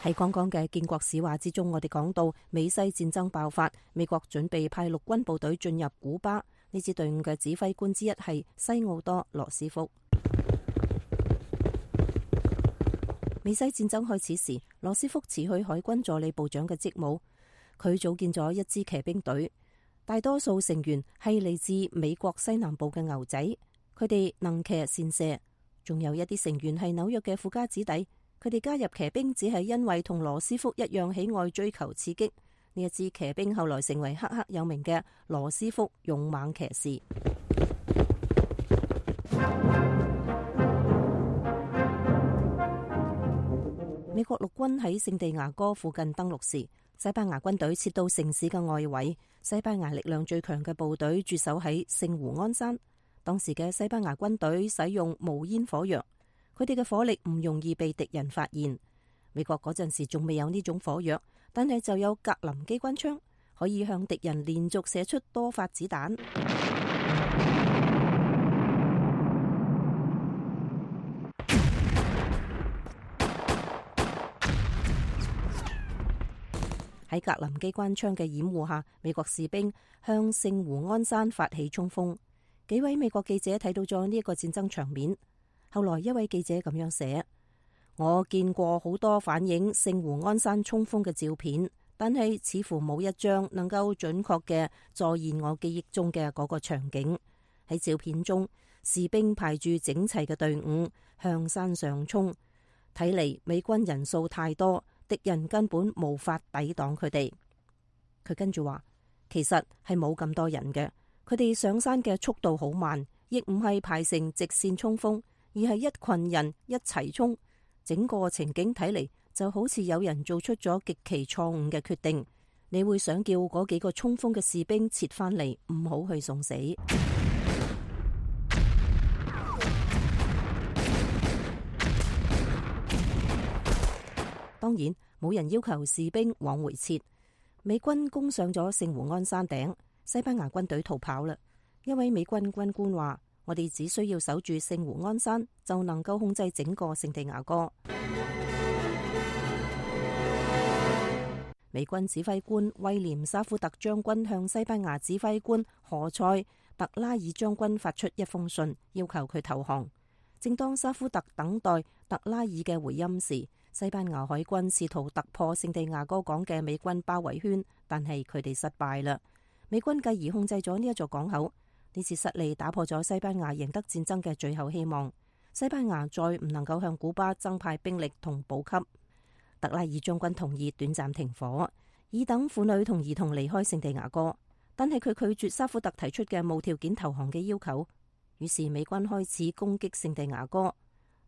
喺剛剛嘅建國史話之中，我哋講到美西戰爭爆發，美國準備派陸軍部隊進入古巴。呢支隊伍嘅指揮官之一係西奧多羅斯福。美西戰爭開始時，羅斯福辭去海軍助理部長嘅職務，佢組建咗一支騎兵隊，大多數成員係嚟自美國西南部嘅牛仔，佢哋能騎善射，仲有一啲成員係紐約嘅富家子弟。佢哋加入騎兵只係因為同羅斯福一樣喜愛追求刺激。呢一支騎兵後來成為赫赫有名嘅羅斯福勇猛騎士。美國國陸軍喺聖地牙哥附近登陸時，西班牙軍隊撤到城市嘅外圍，西班牙力量最強嘅部隊駐守喺聖胡安山。當時嘅西班牙軍隊使用無煙火藥，佢哋嘅火力唔容易被敵人發現。美國嗰陣時仲未有呢種火藥，但係就有格林機關槍，可以向敵人連續射出多發子彈。喺格林機關槍嘅掩護下，美國士兵向聖胡安山發起衝鋒。幾位美國記者睇到咗呢一個戰爭場面。後來一位記者咁樣寫：我見過好多反映聖胡安山衝鋒嘅照片，但係似乎冇一張能夠準確嘅再現我記憶中嘅嗰個場景。喺照片中，士兵排住整齊嘅隊伍向山上衝，睇嚟美軍人數太多，敵人根本無法抵擋佢哋。佢跟住話，其實係冇咁多人嘅，佢哋上山嘅速度好慢，亦唔係排成直線衝鋒，而係一群人一齊衝。整個情景睇嚟就好似有人做出咗極其錯誤嘅決定。你會想叫嗰幾個衝鋒嘅士兵撤翻嚟，唔好去送死。當然，冇人要求士兵往回撤。美軍攻上咗聖胡安山頂，西班牙軍隊逃跑啦。一位美軍軍官話：我哋只需要守住聖胡安山，就能夠控制整個聖地牙哥。美軍指揮官威廉沙夫特將軍向西班牙指揮官何塞特拉爾將軍發出一封信，要求佢投降。正當沙夫特等待特拉爾嘅回音時，西班牙海軍試圖突破聖地牙哥港嘅美軍包圍圈，但係佢哋失敗啦。美軍繼而控制咗呢一座港口。呢次失利打破咗西班牙贏得戰爭嘅最後希望。西班牙再唔能夠向古巴增派兵力同補給。特拉爾將軍同意短暫停火，以等婦女同兒童離開聖地牙哥，但係佢拒絕沙夫特提出嘅無條件投降嘅要求。於是美軍開始攻擊聖地牙哥。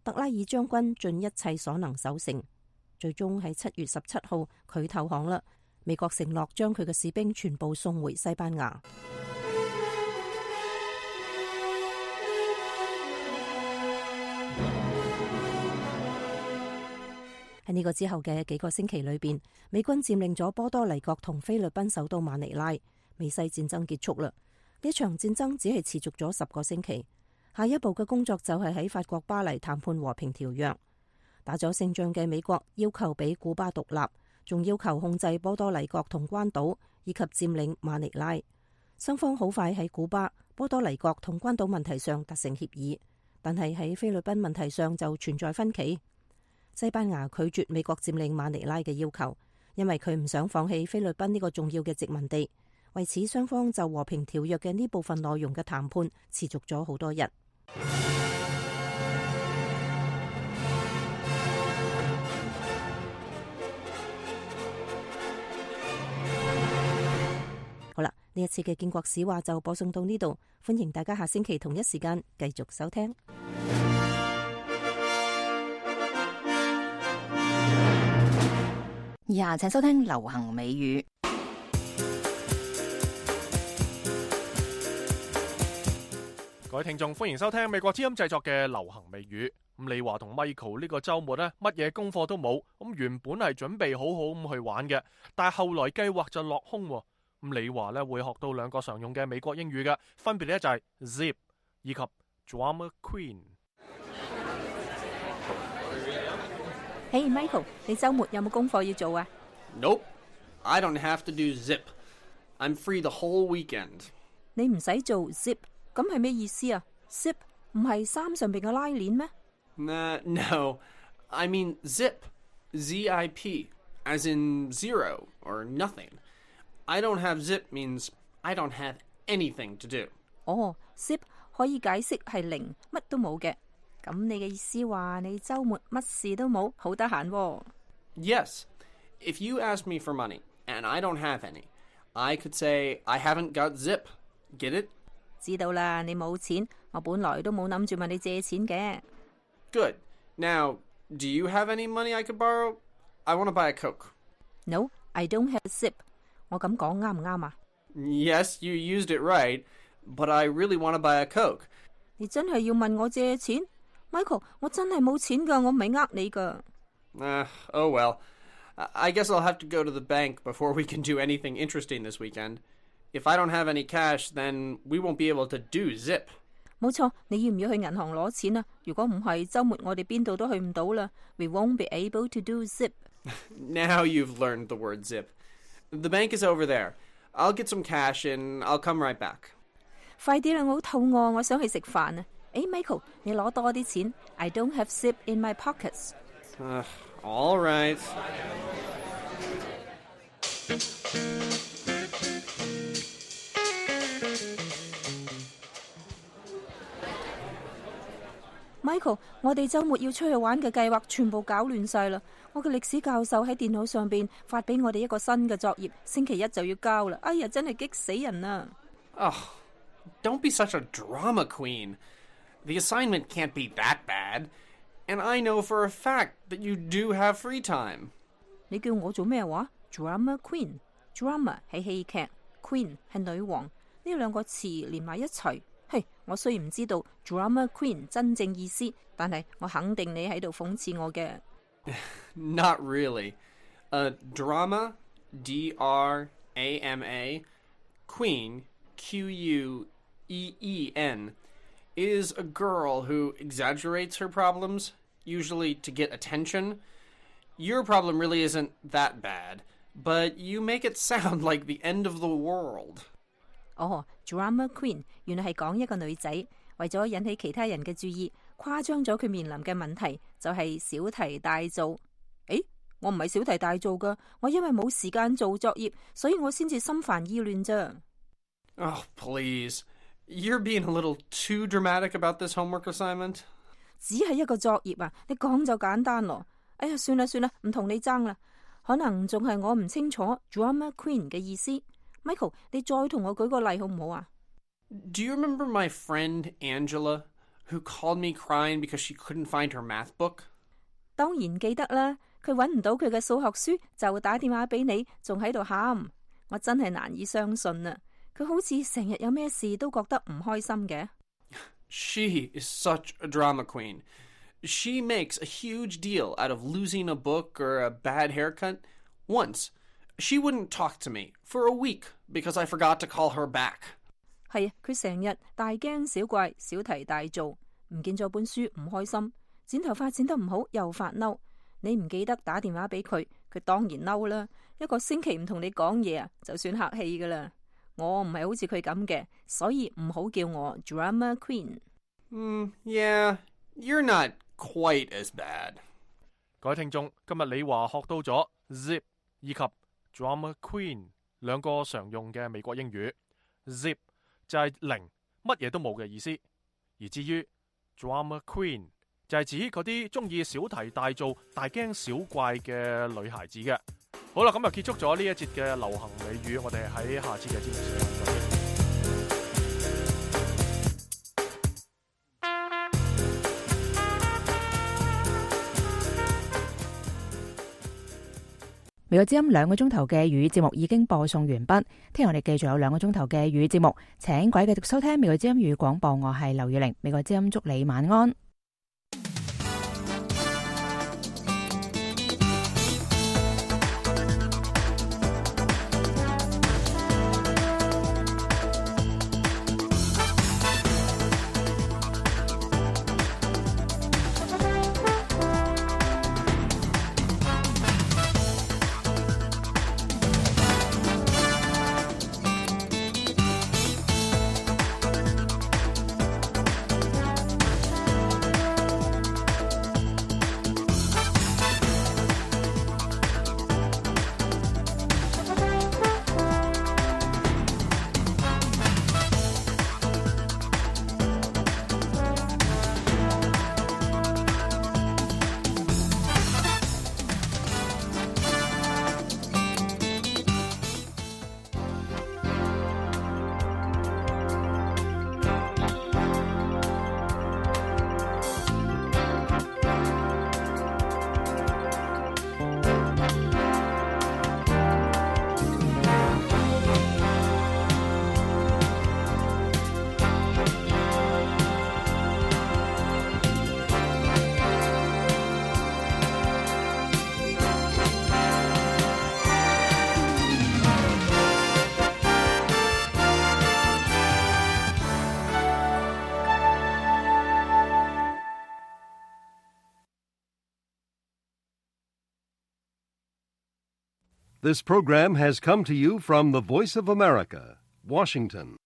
特拉爾將軍盡一切所能守城，最終喺七月十七號佢投降啦。美國承諾將佢嘅士兵全部送回西班牙。喺呢個之後嘅幾個星期裏邊，美軍佔領咗波多黎各同菲律賓首都馬尼拉，美西戰爭結束啦。呢場戰爭只係持續咗十個星期。下一步嘅工作就係喺法國巴黎談判和平條約。打咗勝仗嘅美國要求俾古巴獨立，仲要求控制波多黎各同關島，以及佔領馬尼拉。雙方好快喺古巴、波多黎各同關島問題上達成協議，但係喺菲律賓問題上就存在分歧。西班牙拒絕美國佔領馬尼拉嘅要求，因為佢唔想放棄菲律賓呢個重要嘅殖民地。為此，雙方就和平條約嘅呢部分內容嘅談判持續咗好多日。好啦，呢一次嘅建國史話就播送到呢度，歡迎大家下星期同一時間繼續收聽。以下請收聽流行美語。各位聽眾，歡迎收聽美國之音製作嘅流行美語。咁李華同 Michael 呢個周末呢，乜嘢功課都冇。咁原本係準備好好咁去玩嘅，但係後來計劃就落空。咁李華呢會學到兩個常用嘅美國英語嘅，分別呢就係 zip 以及 drama queen。Hey Michael，你周末有冇功課要做啊？ Nope, I don't have to do zip. I'm free the whole weekend. 你唔使做 zip。咁係咩意思啊 ？zip 唔係衫上邊嘅拉鏈咩？ Uh, no, I mean zip, Z I P, as in zero or nothing. I don't have zip means I don't have anything to do. 哦 zip 可以解釋係零，乜都冇嘅。咁你嘅意思話你周末乜事都冇，好得閒喎。Yes, if you ask me for money and I don't have any, I could say I haven't got zip. Get it?知道啦，你冇錢，我本來都冇諗住問你借錢嘅。Good. Now, do you have any money I could borrow? I want to buy a Coke. No, I don't have a zip. 我咁講啱唔啱啊？ Yes, you used it right, but I really want to buy a Coke. 你真係要問我借錢 ？Michael， 我真係冇錢㗎，我唔係呃你㗎。Uh, oh well. I guess I'll have to go to the bank before we can do anything interesting this weekend. If I don't have any cash, then we won't be able to do Zip. 冇錯，你要唔要去銀行攞錢啊？如果唔係，週末我哋邊度都去唔到啦。We won't be able to do Zip. Now you've learned the word Zip. The bank is over there. I'll get some cash and I'll come right back. 快啲啦，我好肚餓，我想去食飯啊！誒 ，Michael， 你攞多啲錢。I don't have zip in my pockets. Uh, all right. Michael， 我哋週末要出去玩嘅計劃全部搞亂晒啦！我嘅歷史教授喺電腦上邊發俾我哋一個新嘅作業，星期一就要交啦！哎呀，真係激死人啊！ Oh, don't be such a drama queen. The assignment can't be that bad. And I know for a fact that you do have free time. 你叫我做咩話 ？Drama queen， drama 係戲劇 ，queen 係女王，呢兩個詞連埋一齊。嘿，我雖然唔知道 drama queen 真正意思，但係我肯定你喺度諷刺我嘅。Not really. Uh, drama, D R A M A, queen, Q U E E N, is a girl who exaggerates her problems, usually to get attention. Your problem really isn't that bad, but you make it sound like the end of the world. 哦 ，drama queen 原來係講一個女仔為咗引起其他人嘅注意，誇張咗佢面臨嘅問題，就係小題大做。誒，我唔係小題大做㗎，我因為冇時間做作業，所以我先至心煩意亂啫。Oh, please. You're being a little too dramatic about this homework assignment. 只係一個作業啊，你講就簡單咯。哎呀，算啦算啦，唔同你爭啦。可能仲係我唔清楚 drama queen 嘅意思。Michael， 你再同我舉個例好唔好啊？ Do you remember my friend Angela, who called me crying because she couldn't find her math book? 當然記得啦，佢揾唔到佢嘅數學書，就打電話俾你，仲喺度喊。我真係難以相信啊！佢好似成日有咩事都覺得唔開心嘅。She is such a drama queen. She makes a huge deal out of losing a book or a bad haircut. Once, she wouldn't talk to me for a week because I forgot to call her back. 係啊，佢成日大驚小怪，小題大做，唔見咗本書唔開心，剪頭髮剪得唔好又發嬲。你唔記得打電話俾佢，佢當然嬲啦。一個星期唔同你講嘢啊，就算客氣噶啦。我唔係好似佢咁嘅，所以唔好叫我 drama queen。嗯 yeah, you're not quite as bad. 各位聽眾，今日李華學到咗 zip 以及 drama queen 兩個常用嘅美國英語。zip 就係零，乜嘢都冇嘅意思，而至於 drama queen 就係指嗰啲中意小題大做、大驚小怪嘅女孩子嘅。好啦，咁就結束咗呢一節嘅流行美語，我哋喺下次嘅節目時間再見。美國之音兩個鐘頭嘅語節目已經播送完畢，聽日我哋繼續有兩個鐘頭嘅語節目，請各位繼續收聽美國之音語廣播，我係劉月玲，美國之音祝你晚安。This program has come to you from the Voice of America, Washington.